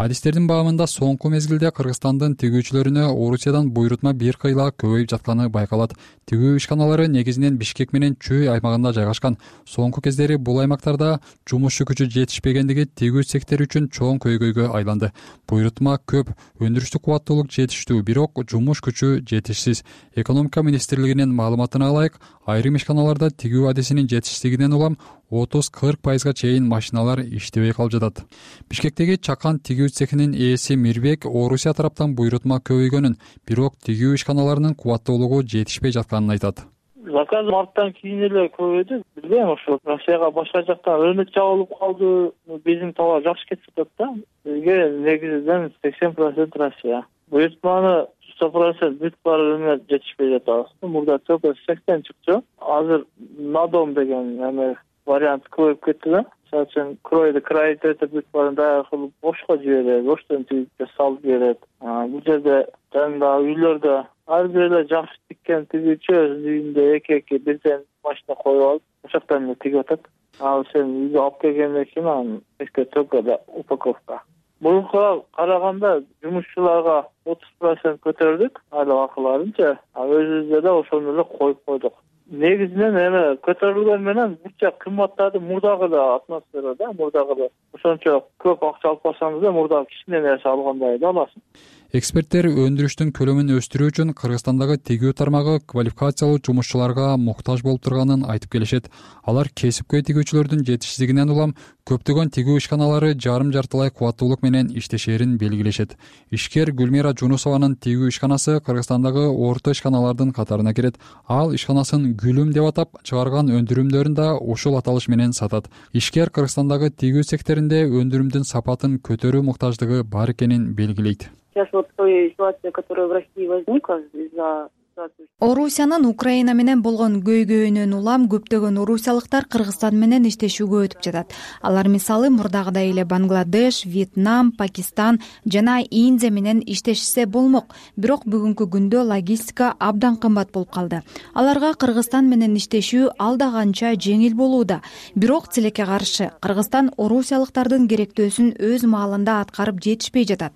Адистердин баамында соңку мезгилде Кыргызстандын тигүүчүлөрүнө Орусиядан буйрутма бир кыйла көбөйүп жатканы байкалат. Тигүү ишканалары негизинен Бишкек менен Чүй аймагында жайгашкан. Соңку кездери бул аймактарда жумушчу күчү жетишпегендиги тигүү цехтери үчүн чоң көйгөйгө айланды. Буйрутма көп, өндүрүштүк кубаттуулук жетиштүү, бирок жумуш күчү жетишсиз. Экономика министрлигинин маалыматына ылайык, айрым ишканаларда тигүү адисинин жетишсиздигинен улам 30-40% чейин машиналар иштебей калып жатат. Бишкектеги Чакан тигүү цехинин ээси Мирбек Орусия тараптан буйрутма көбөйгөнүн, бирок тигүү ишканаларынын кубаттуулугу жетишпей жатканын айтат. Заказ марттан кийин эле көбөйдү. Билбейм, ошо Россияга башка жактан рынок жабылып калды. Биздин товар жакшы кетип атат да. Бизге негизинен 80% Россия. Буйрутманы 100% бүт баарына жетишпей жатабыз. Мурда только 80 чыкчу. Азыр надом деген вариант көбөйүп кетти да. Мисалы үчүн кройду крайт этип бүт баарын даяр кылып бошко жиберет, боштон тигип салып берет. Бул жерде жанагы үйлөрдө ар бир эле жакшы тиккен тигүүчү өзүнүн үйүндө эки бирден машина коюп алып, ошоктон эле тигип атат. Ал сен үйгө алып келгенден кийин анан эске только упаковка. Буга караганда жумушчуларга 30% көтөрдүк айлык акыларынча, өзүбүздө да ошону эле коюп койдук. Негизинен эме көтөрүлгөн менен бутча кымбаттады, мурдагы да атмосферада, мурдагы да ошончо көп акча алып барсаңыз да мурдагы кичине нерсе алгандай да аласың. Эксперттер өндүрүштүн көлөмүн өстүрүү үчүн Кыргызстандагы тигүү тармагы квалификациялуу жумушчуларга муктаж болуп турганын айтып келишет. Алар кесипкөй тигүүчүлөрдүн жетишсиздигинен улам көптөгөн тигүү ишканалары жарым-жартылай кубаттуулук менен иштешерин белгилешет. Ишкер Гүлмира Жунусованын тигүү ишканасы Кыргызстандагы орто ишканалардын катарына кирет. Ал ишканасын Гүлүм деп атап, чыгарган өндүрүмдөрүн да ушул аталыш менен сатат. Ишкер Кыргызстандагы тигүү секторунда өндүрүмдүн сапатын көтөрүү муктаждыгы бар экенин белгилейт. Сейчас вот той ситуация, которая в России возникла из-за Орусиянын Украина менен болгон көйгөйүнөн улам көптөгөн орусиялыктар Кыргызстан менен иштешүүгө өтүп жатат. Алар мисалы мурдагыдай эле Бангладеш, Вьетнам, Пакистан жана Индия менен иштешсе болмок. Бирок бүгүнкү күндө логистика абдан кымбат болуп калды. Аларга Кыргызстан менен иштешүү алда канча жеңил болууда. Бирок тилекке каршы Кыргызстан орусиялыктардын керектөөсүн өз маалында аткарып жетишпей жатат.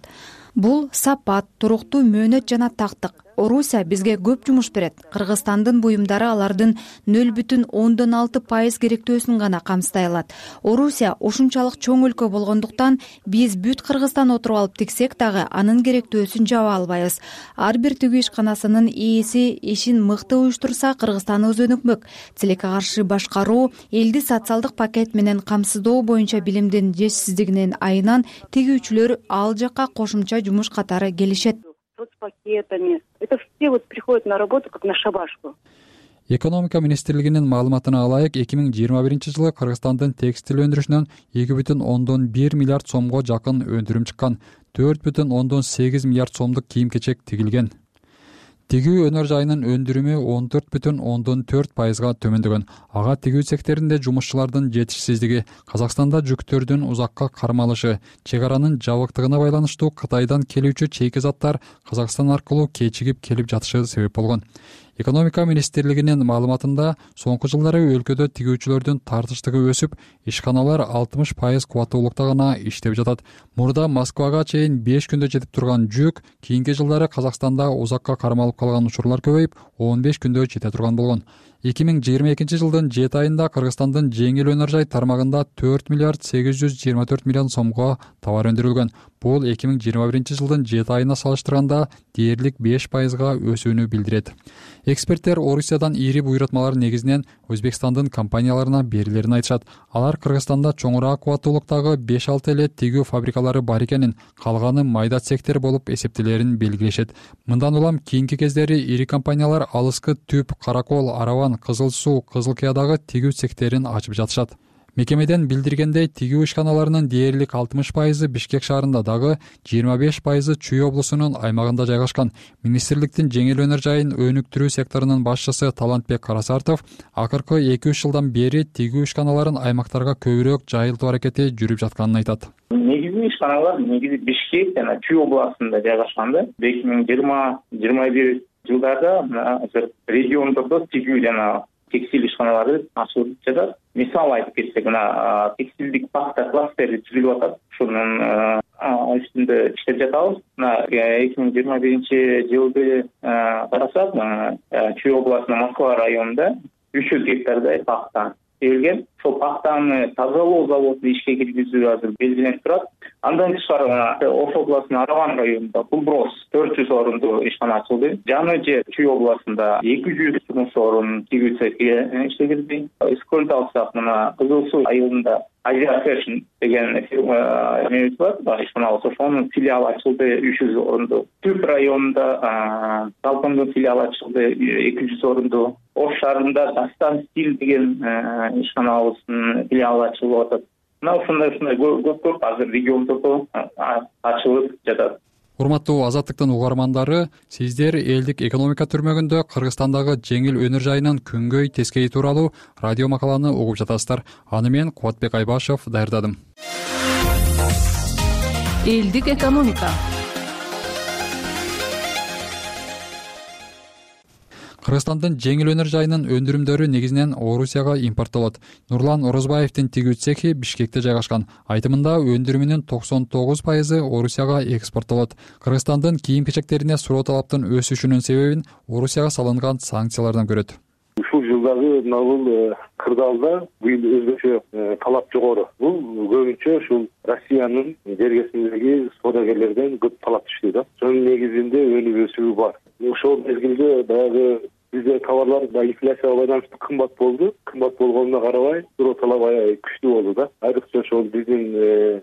Бул сапат, туруктуу мөөнөт жана тактык. Орусия бизге көп жумуш берет. Кыргызстандын буюмдары алардын 0,6% керектөөсүн гана камсытай алат. Орусия ушунчалык чоң өлкө болгондуктан биз бүт Кыргызстан отуруп алып тиксек дагы анын керектөөсүн жаба албайбыз. Ар бир тигүү ишканасынын ээси ишин мыкты уюштурса, Кыргызстаныбыз өнүкмөк. Тилекке каршы башкаруу элди социалдык пакет менен камсыздоо боюнча билимдин жетишсиздигинин айынан тигүүчүлөр ал жакка кошумча жумуш катары келишет. Соцпакетами. Это все вот приходят на работу как на шабашку. Экономика министрлигинин маалыматына алайык, 2021 жылы Кыргызстандын текстил өндүрүшүнөн 2,1 миллиард сомго жакын өндүрүм чыккан. 4,8 миллиард сомдук кийим-кечек тигилген. Тигүү өнөр жайынын өндүрүмү 14,4% төмөндөгөн. Ага тигүү секторунда жумушчулардын жетишсиздиги, Казакстанда жүктөрдүн узакка кармалышы, чек аранын жабыктыгына байланыштуу Кытайдан келүүчү чейки заттар Казакстан аркылуу кечигип келип жатышы себеп болгон. Экономика министрлигинин маалыматында соңку жылдары өлкөдө тигүүчүлөрдүн тартыштыгы өсүп, ишканалар 60% кубаттуулукта гана иштеп жатат. Мурда Москвага чейин 5 күндө жетип турган жүк кийинки жылдары Казакстанда узакка кармалып калган учурлар көбөйүп, 15 күндө жете турган болгон. 2022 жылдын 7 айында Кыргызстандын жеңил өнөр жай тармагында 4 миллиард 824 миллион сомго товар өндүрүлгөн. Бул 2021 жылдын 7 айына салыштырганда дээрлик 5%га өсүүнү билдирет. Эксперттер Орусиядан ири буйрутмалар негизинен Өзбекстандын компанияларына берилерин айтышат. Алар Кыргызстанда чоңураак кубаттуулуктагы 5-6 эле тигүү фабрикалары бар экенин, калганы майда цехтер болуп эсептелерин белгилешет. Мындан улам кийинки кездери ири компаниялар Алыскы Түп, Каракол, Араван, Кызыл Суу, Кызыл Кыядагы тигүү цехтерин ачып жатышат. Мекемеден билдиргендей, тигүү ишканаларынын дээрлик 60% Бишкек шаарында, дагы 25% Чүй облусунун аймагында жайгашкан. Министрликтин жеңил өнөр жайын өнүктүрүү секторунун башчысы Талантбек Карасартов акыркы 2-3 жылдан бери тигүү ишканаларын аймактарга көбүрөөк жайылтуу аракети жүрүп жатканын айтат. Негизи ишканалар Бишкек жана Чүй областында жайгашкан. 2020-21 жылдарда азыр региондордо тигүү жана текстиль ишканалары ачылып жатат. Мисал айтып кетсек, текстилдик пахта кластери түзүлүп атат. Ушунун үстүндө иштеп жатабыз. 2021 жылды карасак, Чүй областынын Москва районунда 300 гектардай пахта эгилген. Ошол пахтаны тазалоо заводу ишке киргизүү азыр белгиленип турат. Андан тышкары Ош областынын Араван районунда Кулброс 400 орунду ишкана ачылды. Жаңы жер Чүй областында 200 жумуш орун тигүү цехи иштегилди. Эскөлдү алсак, мына Кызыл Суу айылында Азия Фэшн деген эмебиз бар, ишкана, ошонун филиалы ачылды 300 орунду. Түп районунда Талпындын филиалы ачылды 200 орунду. Ош шаарында Дастан Стиль деген ишканабыздын филиалы ачылып атат. Мына ушундай көп азыр региондордо ачылып жатат. Урматтуу Азаттыктын угармандары, сиздер элдик экономика түрмөгүндө Кыргызстандагы жеңил өнөр жайынын күнгөй тескейи тууралуу радио макаланы угуп жатасыздар. Аны мен Кубатбек Айбашев даярдадым. Элдик экономика. Кыргызстандын жеңил өнөр жайынын өндүрүмдөрү негизинен Орусияга импорттолот. Нурлан Орозбаевдин тигүү цехи Бишкекте жайгашкан. Айтымында өндүрүмүнүн 99% Орусияга экспорттолот. Кыргызстандын кийим-кечектерине суроо талаптын өсүшүнүн себебин Орусияга салынган санкциялардан көрөт. Ушул жылы дагы мына бул кырдаалда быйыл өзгөчө талап жогору. Бул көбүнчө ушул Россиянын жергесиндеги соодагерлерден көп талап түштү да. Ошонун негизинде өнүк өсүү бар. Ошол мезгилде баягы бизде товарлар инфляцияга байланыштуу кымбат болду. Кымбат болгонуна карабай, суроо талап аябай күчтүү болду да. Айрыкча ошол биздин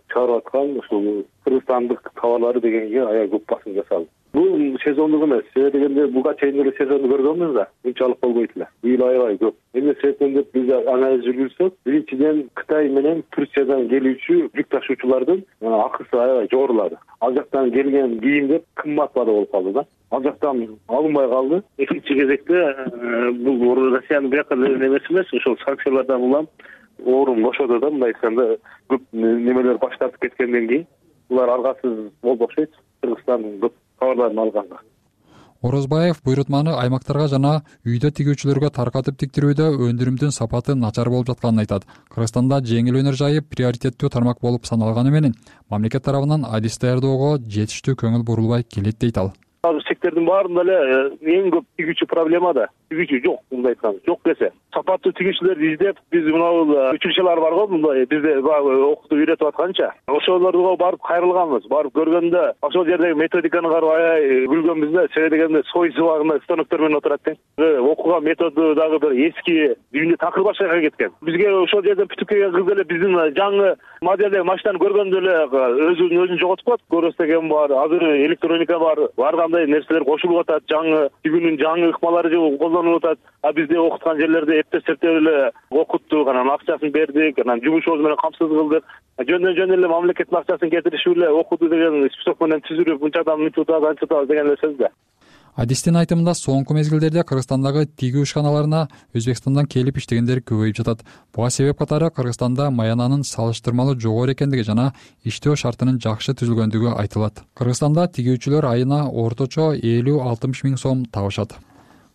чыгарып аткан ушул кыргызстандык товарлары дегенге аябай көп басым жасалды. Бул сезондук эмес. Себеби дегенде буга чейин эле сезонду көргөнбүз да. Мынчалык болбойт эле. Быйыл аябай көп. Эмне себептен деп биз анализ жүргүзсөк, биринчиден Кытай менен Турциядан келүүчү жүк ташуучулардын акысы аябай жогорулады. Ал жактан келген кийимдер кымбат баада болуп калды да. Ал жактан алынбай калды. Экинчи кезекте бул Россиянын бияка эмеси эмес, ошол санкциялардан улам орун бошоду да. Мындай айтканда көп немелер баш тартып кеткенден кийин булар аргасыз болду окшойт. Кыргызстан көп товарларын алганга. Орозбаев буйрутманы аймактарга жана үйдө тигүүчүлөргө таркатып тиктирүүдө өндүрүмдүн сапаты начар болуп жатканын айтат. Кыргызстанда жеңил өнөр жайы приоритеттүү тармак болуп саналганы менен мамлекет тарабынан адис даярдоого жетиштүү көңүл бурулбай келет дейт ал. Сектордун баарында эле эң көп тигүүчү проблема да. Тигүүчү жок, мындай айтканда. Жок десе. Сапаттуу тигүүчүлөрдү издеп, биз мына училищелер бар го, мындай бизде окутуп үйрөтүп атканча. Ошолорго барып кайрылганбыз. Барып көргөндө, ошол жердеги методиканы карап аябай күлгөнбүз да. Себеби дегенде сой сыбагында станоктор менен отурат тең. Окуган методу дагы бир эски, дүйнө такыр башка кеткен. Бизге ошол жерден бүтүп келген кыз эле биздин жаңы моделдеги машинаны көргөндө эле өзүн жоготуп коет. Көрөстеген бар, азыр электроника бар. Баргандай нерселер кошулуп атат, жаңы тигүүнүн жаңы ыкмалары колдонулуп атат. А бизде окуткан жерлерде эптеп эле окуттук, анан акчасын бердик, анан жумушубуз менен камсыз кылдык. Жөн эле мамлекеттин акчасын кетиришип эле окуду деген список менен түзүрүп, мынчадан мынчутабыз, анчутабыз деген эле сөз да. Адистин айтымында соңку мезгилдерде Кыргызстандагы тигүү ишканаларына Өзбекстандан келип иштегендер көбөйүп жатат. Буга себеп катары Кыргызстанда маянанын салыштырмалуу жогору экендиги жана иштөө шартынын жакшы түзүлгөндүгү айтылат. Кыргызстанда тигүүчүлөр айына орточо 50-60 миң сом табышат.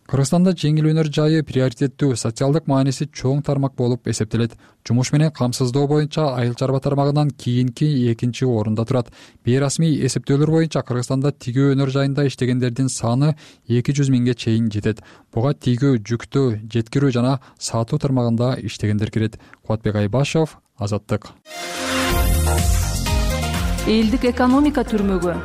Кыргызстанда жеңил өнөр жайы приоритеттүү, социалдык мааниси чоң тармак болуп эсептелет. Жумуш менен камсыздоо боюнча айыл чарба тармагынан кийинки экинчи орунда турат. Бейрасмий эсептөөлөр боюнча Кыргызстанда тигүү өнөр жайында иштегендердин саны 200 миңге чейин жетет. Буга тигүү, жүктү жеткирүү жана сатуу тармагында иштегендер кирет. Кубатбек Айбашев, Азаттык. Элдик экономика түрмөгү.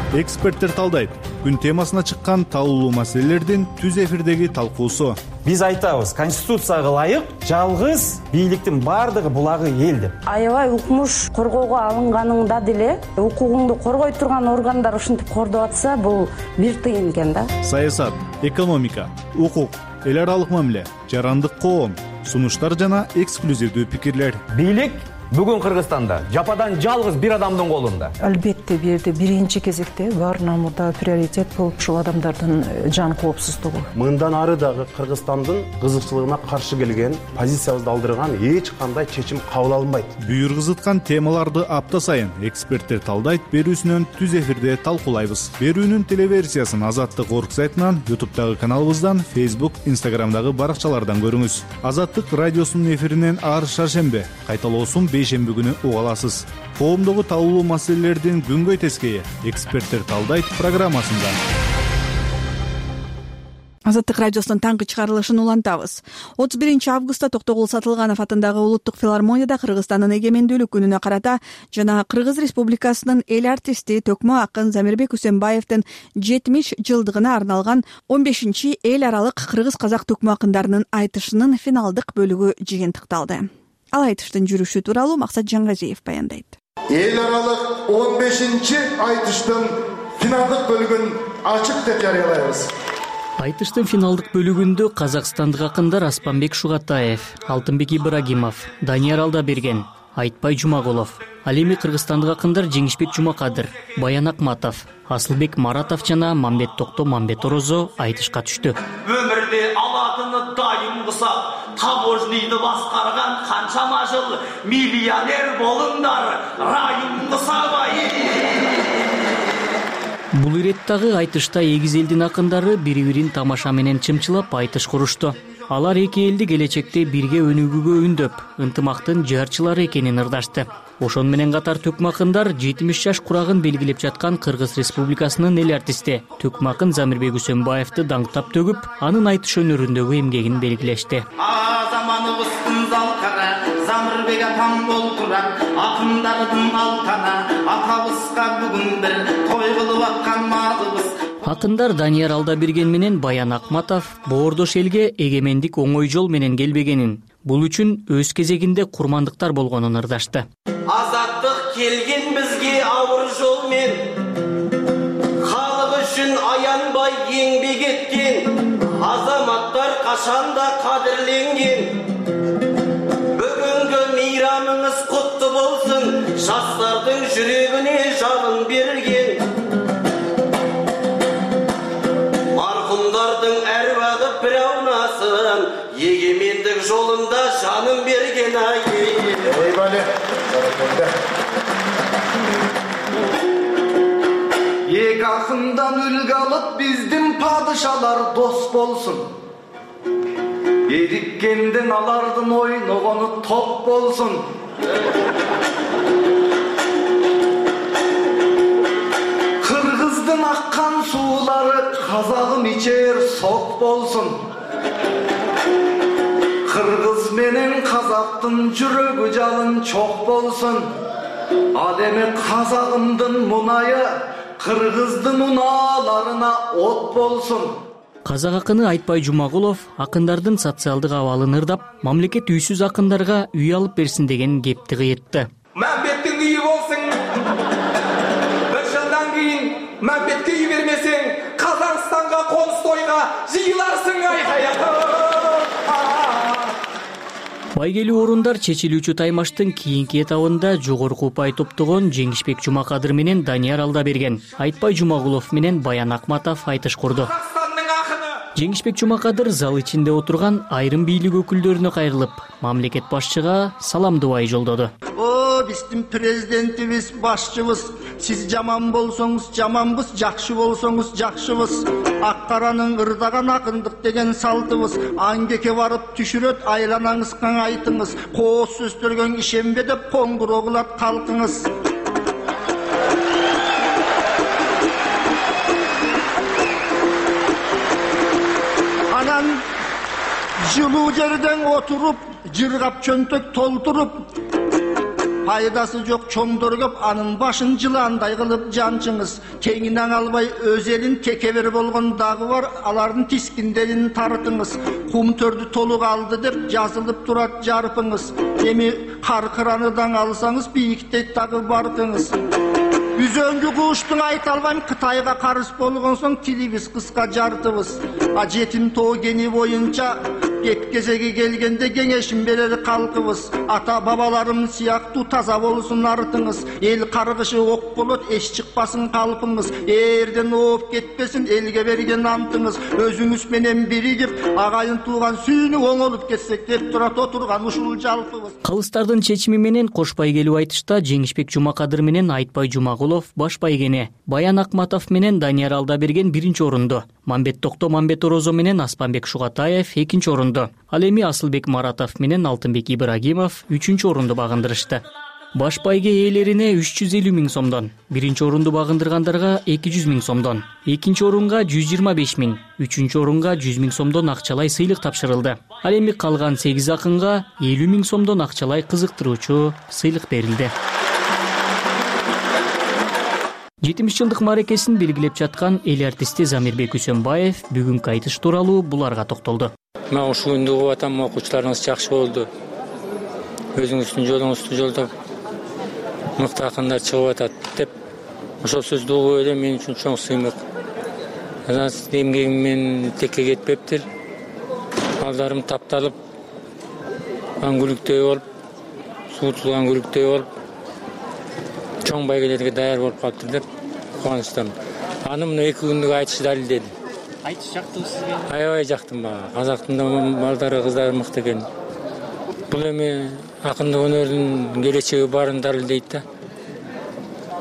Эксперттер талдайт. Күн темасына чыккан талуулуу маселелердин түз эфирдеги талкуусу. Биз айтабыз, конституцияга ылайык жалгыз бийликтин баардыгы булагы эл деп. Аябай укмуш коргоого алынганыңда деле укугуңду коргой турган органдар ушинтип кордоп атса, бул бир тыйын экен да. Саясат, экономика, укук, эл аралык мамиле, жарандык коом, сунуштар жана эксклюзивдүү пикирлер. Бийлик бүгүн Кыргызстанда жападан жалгыз бир адамдын колунда. Албетте биринчи кезекте баарынан мурда приоритет бул ушул адамдардын жан коопсуздугу. Мындан ары дагы Кыргызстандын кызыкчылыгына каршы келген, позициябызды алдырган эч кандай чечим кабыл алынбайт. Бүйүр кызыткан темаларды апта сайын эксперттер талдайт берүүсүнөн түз эфирде талкуулайбыз. Берүүнүн телеверсиясын Азаттык орг сайтынан, YouTube'дагы каналыбыздан, Facebook, Instagram'дагы баракчалардан көрүңүз. Азаттык радиосунун эфиринен ар шаршембе, кайталоосун бейшемби күнү уга аласыз. Коомдогу талуулуу маселелердин күнгөй тескейи эксперттер талдайт программасында. Азаттык радиосунун таңкы чыгарылышын улантабыз. 31 августта Токтогул Сатылганов атындагы Улуттук филармонияда Кыргызстандын эгемендүүлүк күнүнө карата жана Кыргыз Республикасынын эл артисти Төкмө акын Замирбек Үсенбаевдин 70 жылдыгына арналган 15-чи эл аралык кыргыз-казак төкмө акындарынын айтышынын финалдык бөлүгү жыйынтыкталды. Ал айтыштын жүрүшү тууралуу Максат Жаңгазиев баяндайт. Эл аралык 15-чи айтыштын финалдык бөлүгүн ачык деп жарыялайбыз. Айтыштын финалдык бөлүгүндө казакстандык акындар Аспанбек Шугатаев, Алтынбек Ибрагимов, Данияр Алдаберген, Айтбай Жумагулов, ал эми кыргызстандык акындар Жеңишбек Жумакадыр, Баян Акматов, Асылбек Маратов жана Мамбет Токто Мамбет Орозо айтышка түштү. Өмүрдө алатыны дайым кусап, таможнийди баскарган канчама жыл миллионер болуңдар, райым кусабай. Бул иреттагы айтышта эгиз элдин акындары бири-бирин тамаша менен чымчылап айтыш курушту. Алар эки элди келечекте бирге өнүгүүгө үндөп, ынтымактын жарчылары экенин ырдашты. Ошону менен катар Төкмө акындар 70 жаш курагын белгилеп жаткан Кыргыз Республикасынын эл артисти Төкмө акын Замирбек Үсөнбаевди даңктап төгүп, анын айтыш өнөрүндөгү эмгегин белгилешти. Заманыбыздын залкара Замирбек атам болтурат, акындардын алтана, атабызга бүгүн бир той кылып аткан маалыбыз. Акындар Данияр Алдаберген менен Баян Акматов боордош элге эгемендик оңой жол менен келбегенин, бул үчүн өз кезегинде курмандыктар болгонун ырдашты. Азаттык келген бизге ауыр жолмен, халық үшін аянбай еңбек еткен, азаматтар кашанда кадырленген. Бүгүнкү мейрамыңыз куттуу болсын, жастардын жүрөгүнө жалын берген. Маркумдардын әрбагы пираунасын, егемендик жолунда жанын берген ай. Эки акындан үлгү алып биздин падышалар дос болсун. Эриккенден алардын ойногону топ болсун. Кыргыздын аккан суулары казагым ичер сок болсун. Кыргыз менен казактын жүрөгү жалын чок болсун. Ал эми казагымдын мунайы Кыргыздын унааларына от болсун. Казак акыны Айтбай Жумагулов акындардын социалдык абалын ырдап, мамлекет үйсүз акындарга үй алып берсин деген кепти кыйытты. Мамбеттин үйү болсун. Бир жылдан кийин Мамбетке үй бермесең, Казакстанга конус тойга жыйыларсың айкая. Байгелүү орундар чечилүүчү таймаштын кийинки этабында жогорку упай топтогон Жеңишбек Жумакадыр менен Данияр Алдаберген, Айтбай Жумагулов менен Баян Акматов айтыш курду. Жеңишбек Жумакадыр зал ичинде отурган айрым бийлик өкүлдөрүнө кайрылып, мамлекет башчыга салам дубай жолдоду. О, биздин президентибиз, башчыбыз, сиз жаман болсоңуз жаманбыз, жакшы болсоңуз жакшыбыз. Ак-каранын ырдаган акындык деген салтыбыз. Аңгеке барып түшүрөт, айланаңыз каңайтыңыз. Кооз сөздөргө ишенбе деп коңгуроо кылат калкыңыз. Анан жылуу жерден отуруп, жыргап чөнтөк толтуруп, пайдасы жок чоңдор көп, анын башын жыландай кылып жанчыңыз. Кеңинен албай өз элин текебер болгон дагы бар, алардын тискиндерин тартыңыз. Кум төрдү толук алды деп жазылып турат жарпыңыз. Эми каркыраныдан алсаңыз бийиктейт дагы баркыңыз. Үзөңгү куштун айта албайм, Кытайга карыз болгон соң тилибиз кыска жартыбыз. А жетим тоо кени боюнча кеп кезеги келгенде кеңешин берер калкыбыз. Ата бабаларым сыяктуу таза болсун артыңыз. Эл каргышы ок болот, эч чыкпасын калпыңыз. Эрден ооп кетпесин элге берген антыңыз. Өзүңүз менен биригип, агайын тууган сүйүнүп оңолуп кетсек деп турат отурган ушул жалпыбыз. Калыстардын чечими менен кош байгелүү айтышта Жеңишбек Жумакадыр менен Айтбай Жумагулов баш байгене, Баян Акматов менен Данияр Алдаберген биринчи орунду, Мамбет Токто Мамбет Орозо менен Аспанбек Шугатаев экинчи орунду. Ал эми Асылбек Маратов менен Алтынбек Ибрагимов үчүнчү орунду багындырышты. Баш байге ээлерине 350 000 сомдон, биринчи орунду багындыргандарга 200 000 сомдон, экинчи орунга 125 000, үчүнчү орунга 100 000 сомдон акчалай сыйлык тапшырылды. Ал эми калган 8 акынга 50 000 сомдон акчалай кызыктыруучу сыйлык берилди. 70 жылдык мааракесин белгилеп жаткан эл артисти Замирбек Үсөнбаев бүгүнкү айтыш тууралуу буларга токтолду. Мен ушул күндү угуп атам, окуучуларыңыз жакшы болду. Өзүңүздүн жолуңузду жолдоп мыкты акындар чыгып атат деп ошол сөздү угуп эле мен үчүн чоң сыймык. Эмгегим менен текке кетпептир. Балдарым тапталып, аңгүлүктөй болуп, суутулган аңгүлүктөй болуп, чоң байгелерге даяр болуп калыптыр деп кубанычтамын. Аны мына 2 күндүк айтыш далилдеди. Айтыш жактыбы сизге? Аябай жактым бага. Казактын да балдары, кыздары мыкты экен. Бул эми акындык өнөрдүн келечеги барын далилдейт да.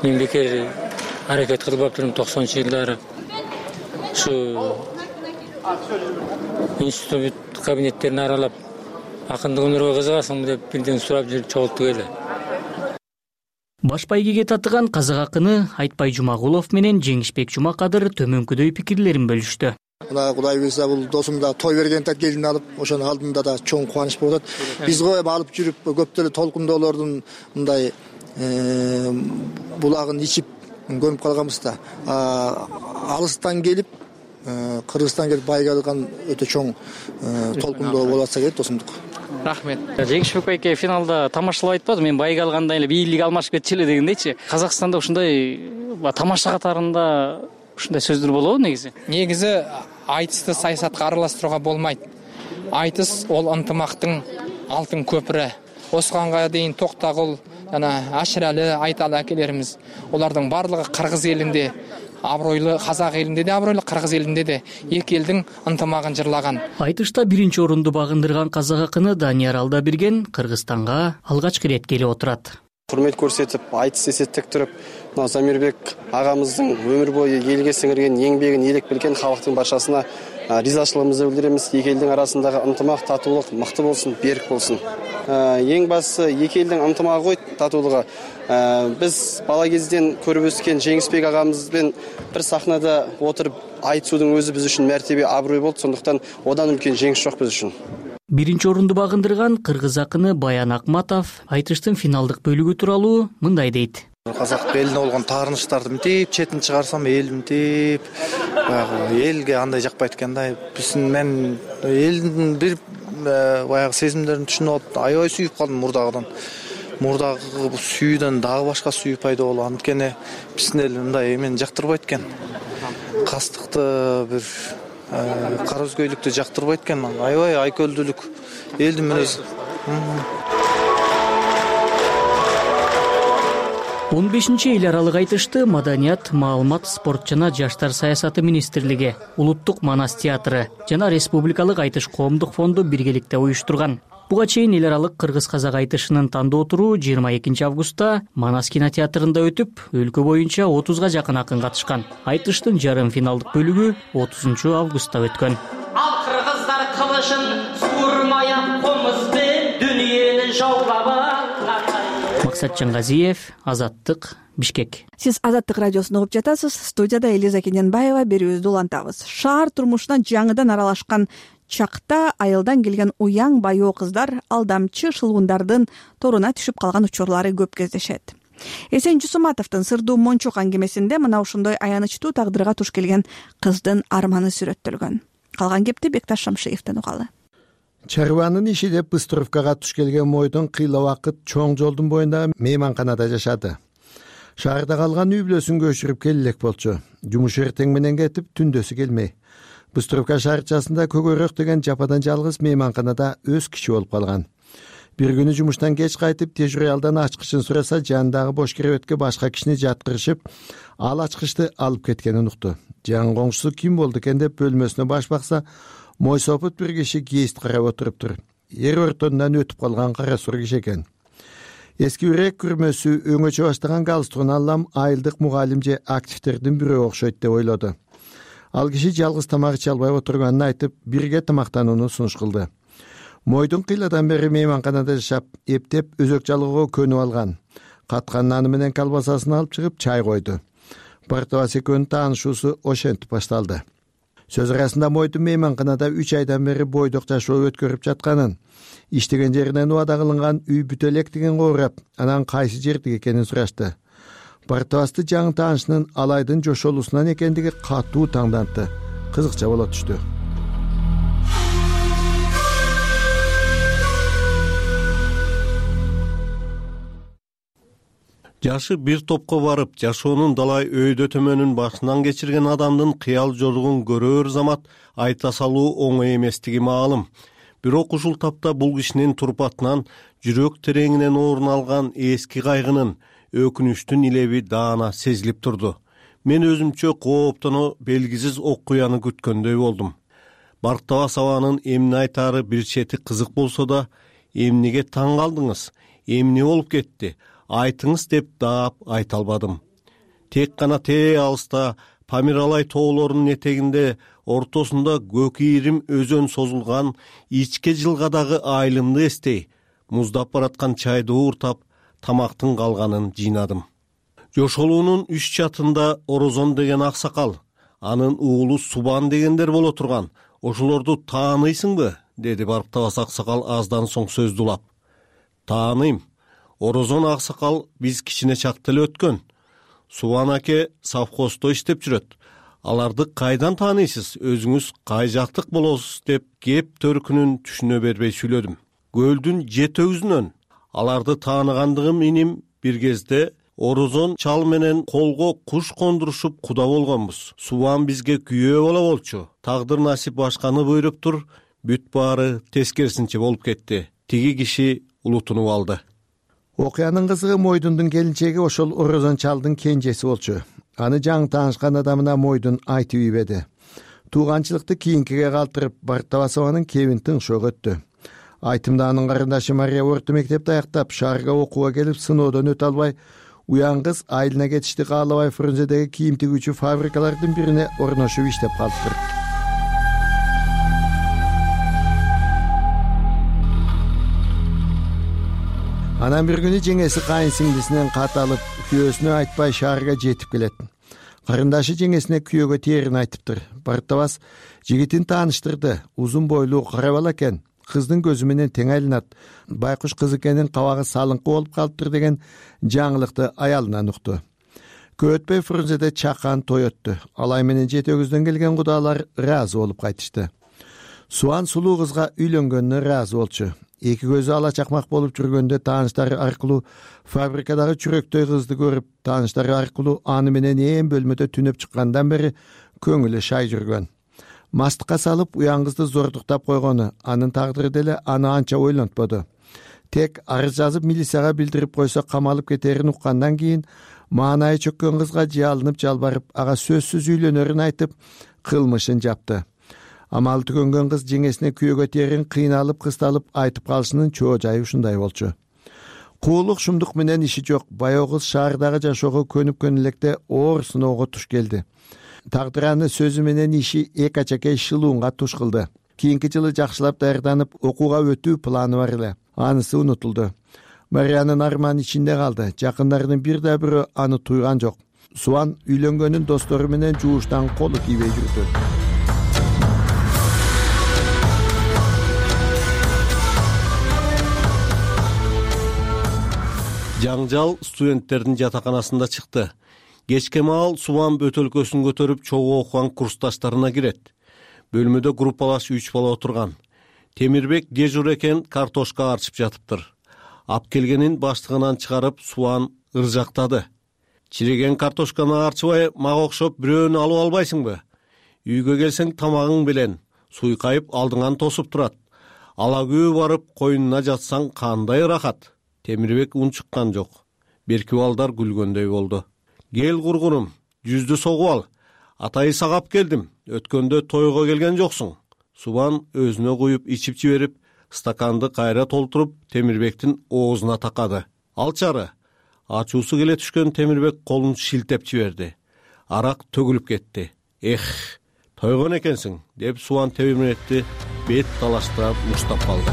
Мен бекер аракет кылбаптырмын 90-жылдары. Ушу институт кабинеттерин аралап, акындык өнөргө кызыгасыңбы деп бирден сурап жүрүп чогулттук эле. Баш байгеге татыган казак акыны Айтбай Жумагулов менен Жеңишбек Жумакадыр төмөнкүдөй пикирлерин бөлүштү. Мына Кудай буйрса бул досум да той бергенде келин алып, ошонун алдында да чоң кубаныч болуп атат. Биз го эми алып жүрүп көп деле толкундоолордун мындай булагын ичип көнүп калганбыз да. Алыстан келип Кыргызстан келип байга алган өтө чоң толкундоо болуп атса керек досумдук. Рахмет. Жеңишбек байке финалда тамашалап айтпады. Мен байга алганда эле бийлик алмашып кетчү эле дегендейчи. Казакстанда ушундай тамаша катарында ушундай сөздөр болобу негизи? Негизи айтысты саясатка аралаштырууга болмойт. Айтыс ол ынтымактын алтын көпүрө. Осуганга дейин Токтогул жана Ашыралы, Айталы акелерimiz олардын барлыгы Кыргыз элинде абройлуу, казак элинде де абройлуу, кыргыз элинде де эки элдин ынтымагын жырлаган. Айтышта биринчи орунду багындырган казак акыны Данияр Алдаберген Кыргызстанга алгачкы ирет келип отурат. Урмет көрсөтүп, айтыс эсеттектирип, Замирбек агамыздын өмүр бою элге сиңирген эңбегин элек билген халктын барчасына ризачылыгыбызды билдиребиз. Эки элдин арасындагы ынтымак, татуулук мыкты болсун, берик болсун. Эң башысы эки элдин ынтымагы ғой татуулугу. Биз бала кезден көрүп өскөн Жеңишбек агамызбен бир сахнада отуруп айтышуудун өзү биз үчүн мәртебе, аброй болду. Сондуктан одан үлкен жеңиш жок биз үчүн. Биринчи орунду багындырган кыргыз акыны Баян Акматов айтыштын финалдык бөлүгү тууралуу мындай дейт. Казак элине болгон таарынычтарды мынтип четин чыгарсам, эл мынтип элге андай жакпайт экен да. Мен элдин бир баягы сезимдерин түшүнүп алып, аябай сүйүп калдым мурдагыдан. Мурдагы сүйүүдөн дагы башка сүйүү пайда болду. Анткени биздин эл мындай эмени жактырбайт экен. Кастыкты бир кара өзгөйлүктү жактырбайт экен. Аябай айкөлдүүлүк элдин мүнөзү. 15-чи эл аралык айтышты Маданият, маалымат, спорт жана жаштар саясаты министрлиги, Улуттук Манас театры жана Республикалык айтыш коомдук фонду биргеликте уюштурган. Буга чейин эл аралык кыргыз-казак айтышынын тандоо туру 22 августта Манас кинотеатрында өтүп, өлкө боюнча 30га жакын акын катышкан. Айтыштын жарым финалдык бөлүгү 30 августта өткөн. Ал кыргыздар кылышын суурмая комузбен дүйнөнү жаулап Максат Жаңгазиев, Азаттык, Бишкек. Сиз Азаттык радиосун угуп жатасыз. Студияда Элиза Кененбаева берүүбүздү улантабыз. Шаар турмушуна жаңыдан аралашкан чакта айылдан келген уяң байоо кыздар алдамчы шылгундардын торуна түшүп калган учурлары көп кездешет. Эсен Жусуматовдун Сырдуу Мончок аңгемесинде мына ушундай аянычтуу тагдырга туш келген кыздын арманы сүрөттөлгөн. Калган кепти Бекташ Шамшиевден угалы. Чарбанын иши деп Быстровкага туш келген мойдун кыйла убакыт чоң жолдун боюндагы мейманканада жашады. Шаарда калган үй бүлөсүн көчүрүп келе элек болчу. Жумуш эртең менен кетип, түндөсү келмей. Быстровка шаарчасында Көгөрөк деген жападан жалгыз мейманканада өз киши болуп калган. Бир күнү жумуштан кеч кайтып, тежуралдан ачкычын сураса, жанындагы бош керебетке башка кишини жаткырышып, ал ачкычты алып кеткенин укту. Жан коңшусу ким болду экен деп бөлмөсүнө баш бакса, мойсопут бир киши кээст карап отуруптур. Эр ортонунан өтүп калган кара сур киши экен. Эски үрек күрмөсү өңөчө баштаган галстугун алам айылдык мугалим же активдердин бирөө окшойт деп ойлоду. Ал киши жалгыз тамак иче албай отурганын айтып, бирге тамактанууну сунуш кылды. Мойдун кыйладан бери мейманканада жашап, эптеп өзөк жалгоого көнүп алган. Каткан наны менен колбасасын алып чыгып чай койду. Бартыбас экөөнүн таанышуусу ошентип башталды. Сөз арасында Мойдун мейманканада 3 айдан бери бойдок жашоо өткөрүп жатканын, иштеген жеринен убада кылынган үй бүтө элек деген оорап, анан кайсы жердик экенин сурашты. Бартыбасты жаңы таанышынын алайдын жошолуусунан экендиги катуу таңдантты. Кызыкча боло түштү. Жашы бир топко барып, жашоонун далай өйдө төмөнүн башынан кечирген адамдын кыял жоругун көрөр замат айта салуу оңой эместиги маалым. Бирок ушул тапта бул кишинин турпатынан жүрөк тереңинен орун алган эски кайгынын, өкүнүчтүн илеби даана сезилип турду. Мен өзүмчө кооптоно белгисиз окуяны күткөндөй болдум. Бартыбас абанын эмне айтаары бир чети кызык болсо да, эмнеге таң калдыңыз, эмне болуп кетти, айтыңыз деп даап айта албадым. Тек гана тээ алыста Памиралай тоолорунун этегинде ортосунда көк ийрим өзөн созулган ичке жылгадагы айылымды эстей, муздап бараткан чайды ууртап, тамактын калганын жыйнадым. Жошолуунун үч чатында Орозон деген аксакал, анын уулу Субан дегендер боло турган. Ошолорду тааныйсыңбы? Деди Барктабас аксакал аздан соң сөздү улап. Тааныйм. Орозон аксакал биз кичине чакта эле өткөн. Субан аке совхоздо иштеп жүрөт. Аларды кайдан тааныйсыз? Өзүңүз кай жактык болосуз деп кеп төркүнүн түшүнө бербей сүйлөдүм. Көлдүн жетөгүзүнөн. Аларды тааныгандыгым иним бир кезде Орозон чал менен колго куш кондурушуп куда болгонбуз. Субан бизге күйөө боло болчу. Тагдыр насип башканы буйруптур. Бүт баары тескерисинче болуп кетти. Тиги киши улутунуп алды. Окуянын кызыгы Мойдундун келинчеги ошол Орозон чалдын кенжеси болчу. Аны жаңы таанышкан адамына Мойдун айтып ийбеди. Тууганчылыкты кийинкиге калтырып, Барктабасованын кебин тыңшоого өттү. Айтымда анын карындашы Мария орто мектепти аяктап, шаарга окууга келип, сыноодон өтө албай, уян кыз айылына кетишти каалабай Фрунзедеги кийим тигүүчү фабрикалардын бирине орношуп иштеп калыптыр. Анан бир күнү жеңеси кайын сиңдисинен кат алып, күйөөсүнө айтпай шаарга жетип келет. Карындашы жеңесине күйөөгө тээрин айтыптыр. Барктабас жигитин тааныштырды. Узун бойлуу кара бала экен. Кыздын көзү менен тең айланат. Байкуш кыз экенин кабагы салыңкы болуп калыптыр деген жаңылыкты аялынан укту. Көп өтпөй Фрунзеде чакан той өттү. Алай менен жетөгүздөн келген кудалар ыраазы болуп кайтышты. Суан сулуу кызга үйлөнгөнүнө ыраазы болчу. Эки көзү ала чакмак болуп жүргөндө тааныштары аркылуу фабрикадагы чүрөктөй кызды көрүп, тааныштары аркылуу аны менен ээн бөлмөдө түнөп чыккандан бери көңүлү шай жүргөн. Мастыкка салып уян кызды зордуктап койгону, анын тагдыры деле аны анча ойлонтподу. Тек арыз жазып милицияга билдирип койсо камалып кетерин уккандан кийин маанайы чөккөн кызга жалынып жалбарып, ага сөзсүз үйлөнөрүн айтып, кылмышын жапты. Амалы түгөнгөн кыз жеңесине күйөөгө тээрин кыйналып, кысталып айтып калышынын чоо жайы ушундай болчу. Куулук шумдук менен иши жок. Баягы кыз шаардагы жашоого көнүп электе оор сыноого туш келди. Тагдыр аны сөзү менен иши эки ачакей шылуунга туш кылды. Кийинки жылы жакшылап даярданып, окууга өтүү планы бар эле. Анысы унутулду. Мариянын арманы ичинде калды. Жакындарынын бир да бирөө аны туйган жок. Суан үйлөнгөнүн достору менен жууштан колу тийбей жүрдү. Жаңжал студенттердин жатаканасында чыкты. Кечке маал Субан бөтөлкөсүн көтөрүп чогуу окуган курсташтарына кирет. Бөлмөдө группалаш 3 бала отурган. Темирбек дежур экен, картошка арчып жатыптыр. Ап келгенин баштыгынан чыгарып Субан ыржактады. Чиреген картошканы арчыбай мага окшоп бирөөнү алып албайсыңбы? Үйгө келсең тамагың белен суйкайып алдыңан тосуп турат. Ала күйөө барып койнуна жатсаң кандай ырахат. Темирбек унчуккан жок. Берки балдар күлгөндөй болду. Кел кургунум, жүздү согуп ал. Атайы сагап келдим. Өткөндө тойго келген жоксуң. Субан өзүнө куюп ичип жиберип, стаканды кайра толтуруп Темирбектин оозуна такады. Алчары. Ачуусу келе түшкөн Темирбек колун шилтеп жиберди. Арак төгүлүп кетти. Эх, тойгон экенсиң, деп Субан Темирбекти бет талаштырып муштап калды.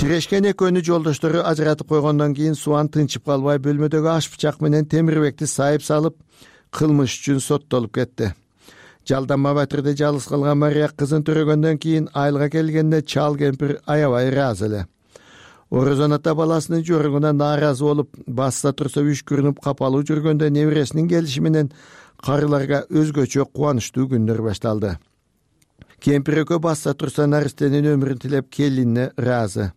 Тирешкен экөөнү жолдоштору ажыратып койгондон кийин Суан тынчып калбай бөлмөдөгү аш бычак менен Темирбекти сайып салып, кылмыш үчүн соттолуп кетти. Жалданма батырды жалгыз калган Мария кызын төрөгөндөн кийин айылга келгенде чал кемпир аябай ыраазы эле. Орозон ата баласынын жоругуна нааразы болуп, басса турса үшкүрүнүп капалуу жүргөндө небересинин келиши менен карыларга өзгөчө кубанычтуу күндөр башталды. Кемпир экөө басса турса наристенин өмүрүн тилеп келинине ыраазы.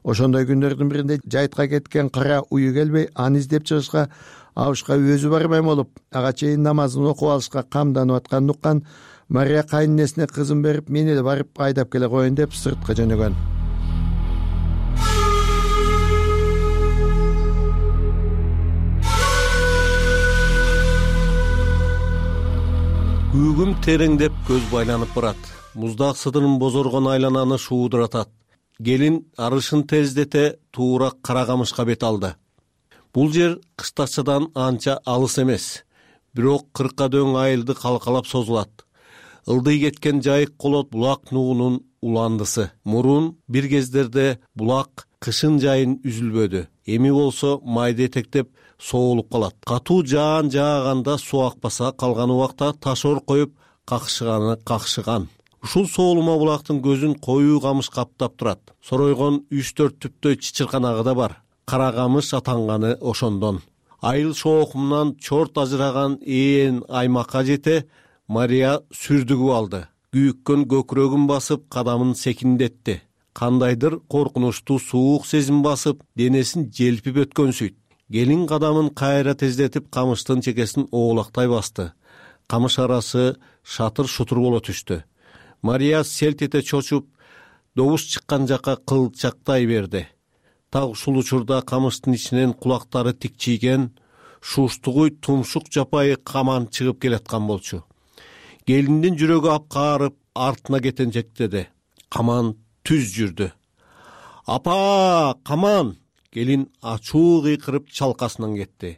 Ошондой күндөрдүн биринде жайтка кеткен кара уyu келбей, аны издеп чыгышка абышка өзү барбай болуп, ага чейин намазын окуп алышка камданып атканын уккан Мария кайненесине кызын берип, мен эле барып айдап келе коеюн деп сыртка жөнөгөн. Күүгүм тереңдеп көз байланып барат. Муздак сыдырын бозоргон айлананы шуудуратат. Келин арышын тездете туура кара камышка бет алды. Бул жер кыштакчадан анча алыс эмес. Бирок 40ка дөң айылды калкалап созулат. ылдый кеткен жайык колот булак нугунун уландысы. Мурун бир кездерде булак кышын жайын үзүлбөдү. Эми болсо майда этектеп соолуп калат. Катуу жаан жааганда суу акпаса, калган убакта ташор коюп какшыган. Ушул соолума булактын көзүн коюу камыш каптап турат. Соройгон 3-4 түптөй чычырканагы да бар. Кара камыш атанганы ошондон. Айыл шоокумунан чорт ажыраган ээн аймакка жете Мария сүрдүгүп алды. Күйүккөн көкүрөгүн басып, кадамын секиндетти. Кандайдыр коркунучтуу суук сезим басып, денесин желпип өткөнсүйт. Келин кадамын кайра тездетип, камыштын чекесин оолактай басты. Камыш арасы шатыр-шутур боло түштү. Мария селт эте чочуп, добуш чыккан жакка кылчактай берди. Так ушул учурда камыштын ичинен кулактары тикчийген, шуштугуй тумшук жапайы каман чыгып келаткан болчу. Келиндин жүрөгү апкаарып, артына кетенжектеди. Каман түз жүрдү. Апа, каман! Келин ачуу кыйкырып чалкасынан кетти.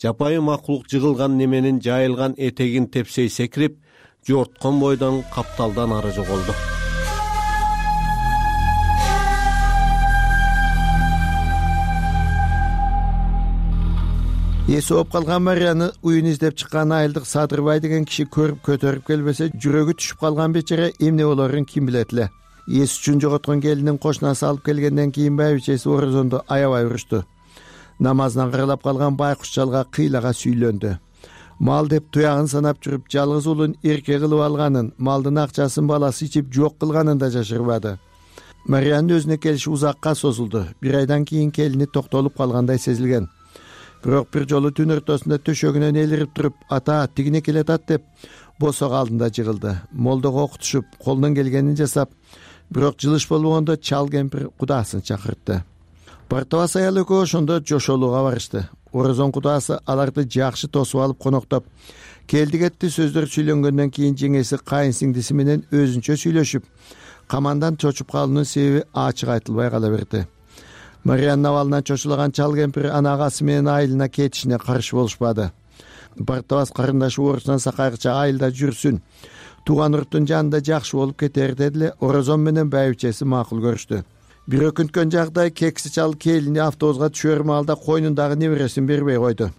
Жапайы макулук жыгылган неменин жайылган этегин тепсей секирип, жорткон бойдон капталдан ары жоголду. Эси оп калган Марияны уюн издеп чыккан айылдык Садырбай деген киши көрүп көтөрүп келбесе, жүрөгү түшүп калган бечара эмне болорун ким билет эле. Эс үчүн жоготкон келинин кошунасы алып келгенден кийин байбичеси орозонду аябай урушту. Намазынан кырылап калган байкуш жалга кыйлага сүйлөндү. Мал деп туягын санап жүрүп, жалгыз уулун эрке кылып алганын, малдын акчасын баласы ичип жок кылганын да жашырбады. Мариянын өзүнө келиши узакка созулду. Бир айдан кийин келини токтолуп калгандай сезилген. Бирок бир жолу түн ортосунда төшөгүнөн элирип туруп, ата тигине келатат деп босок алдында жыгылды. Молдого окутушуп, колунан келгенин жасап, бирок жылыш болбогондо чал кемпир кудаасын чакыртты. Бартабас аял экөө ошондо жошолууга барышты. Орозон кудаасы аларды жакшы тосуп алып коноктоп, келди кетти сөздөр сүйлөнгөндөн кийин жеңеси кайын сиңдиси менен өзүнчө сүйлөшүп, камандан чочуп калуунун себеби ачык айтылбай кала берди. Мариянын абалынан чочулаган чал кемпир анагасы менен айылына кетишине каршы болушпады. Бартабас карындашы орусунан сакайгыча айылда жүрсүн, тууган урттун жанында жакшы болуп кетер дедиле. Орозон менен байбичеси макул көрүштү. Бир өкүнткөн жагдай кекси чал келини автобуска түшөр маалда койнундагы небересин бербей койду.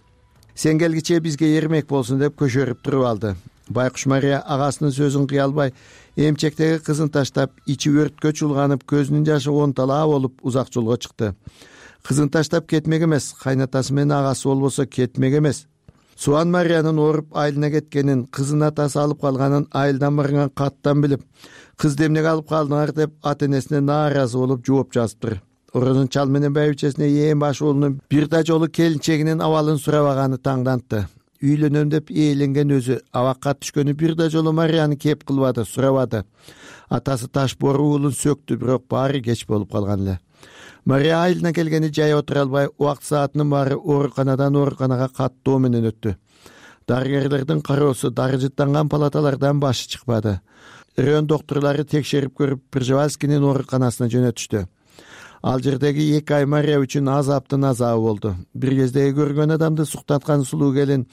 Сен келгиче бизге эрмек болсун деп көшөрүп туруп алды. Байкуш Мария агасынын сөзүн кыя албай, эмчектеги кызын таштап, ичи өрткө чулганып, көзүнүн жашы онталаа болуп узак жолго чыкты. Кызын таштап кетмек эмес, кайнатасы менен агасы болбосо кетмек эмес. Суан Мариянын ооруп айылына кеткенин, кызын атасы алып калганын айылдан барган каттан билип, кызды эмнеге алып калдыңар деп ата-энесине нааразы болуп жооп жазыптыр. Орозон чал менен байбичесине ээн баш уулунун бир да жолу келинчегинин абалын сурабаганы таңдантты. Үйлөнөм деп ээленген өзү абакка түшкөнү бир да жолу Марияны кеп кылбады, сурабады. Атасы таш бору уулун сөктү, бирок баары кеч болуп калган эле. Мария айылына келгени жай отура албай, убакыт саатынын баары ооруканадан ооруканага каттоо менен өттү. Дарыгерлердин кароосу дары жыттанган палаталардан башы чыкпады. Район доктурлары текшерип көрүп, Пржевальскийнин ооруканасына жөнөтүштү. Ал жердеги 2 ай Мария үчүн азаптын азабы болду. Бир кездеги көргөн адамды суктаткан сулуу келин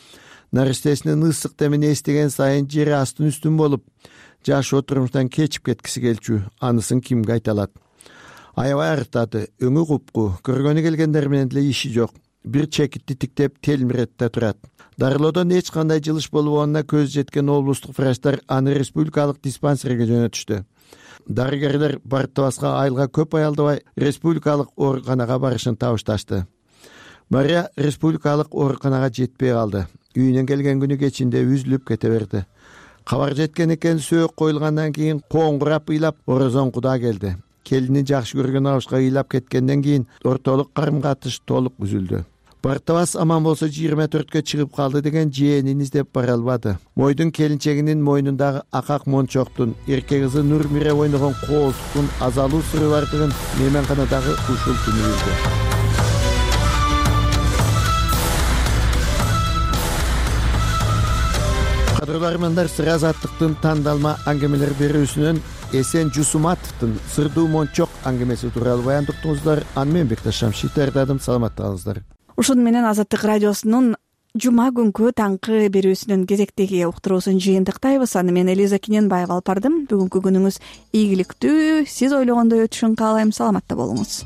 наристесинин ысык демин эстеген сайын жери астын үстүн болуп, жашоо турмуштан кечип кеткиси келчү. Анысын кимге айта алат? Аябай арыктады, өңү купку, көргөнү келгендер менен деле иши жок. Бир чекитти тиктеп телмиретте турат. Дарылоодон эч кандай жылыш болбогонуна көз жеткен облустук врачтар аны республикалык диспансерге жөнөтүштү. Дарыгерлер Бартабаска айылга көп аялдабай республикалык ооруканага барышын табышташты. Мария республикалык ооруканага жетпей калды. Үйүнөн келген күнү кечинде үзүлүп кете берди. Кабар жеткен экен, сөөк коюлгандан кийин коңгурап ыйлап Орозон куда келди. Келини жакшы көргөн абышка ыйлап кеткенден кийин ортолук карым-катыш толук үзүлдү. Бартабас аман болсо 24-кө чыгып калды деген жээнин издеп бара албады. Мойдун келинчегинин мойнундагы акак мончоктун, эрке кызы Нурмире ойногон коолтуктун азалуу сыры бардыгын мейманканадагы ушул күнү билди. Кадырлуу армандар, Сыр азаттыктын тандалма аңгемелер берүүсүнөн Эсен Жусуматовдун Сырдуу мончок аңгемеси тууралуу баяндыктыңыздар. Аны мен Бекташ Шамшит даярдадым. Саламатта калыңыздар. Ушуну менен Азаттык радиосунун жума күнкү таңкы берүүсүнүн кезектеги уктуруусун жыйынтыктайбыз. Аны мен Элиза Кененбаева алып бардым. Бүгүнкү күнүңүз ийгиликтүү, сиз ойлогондой өтүшүн каалайм. Саламатта болуңуз.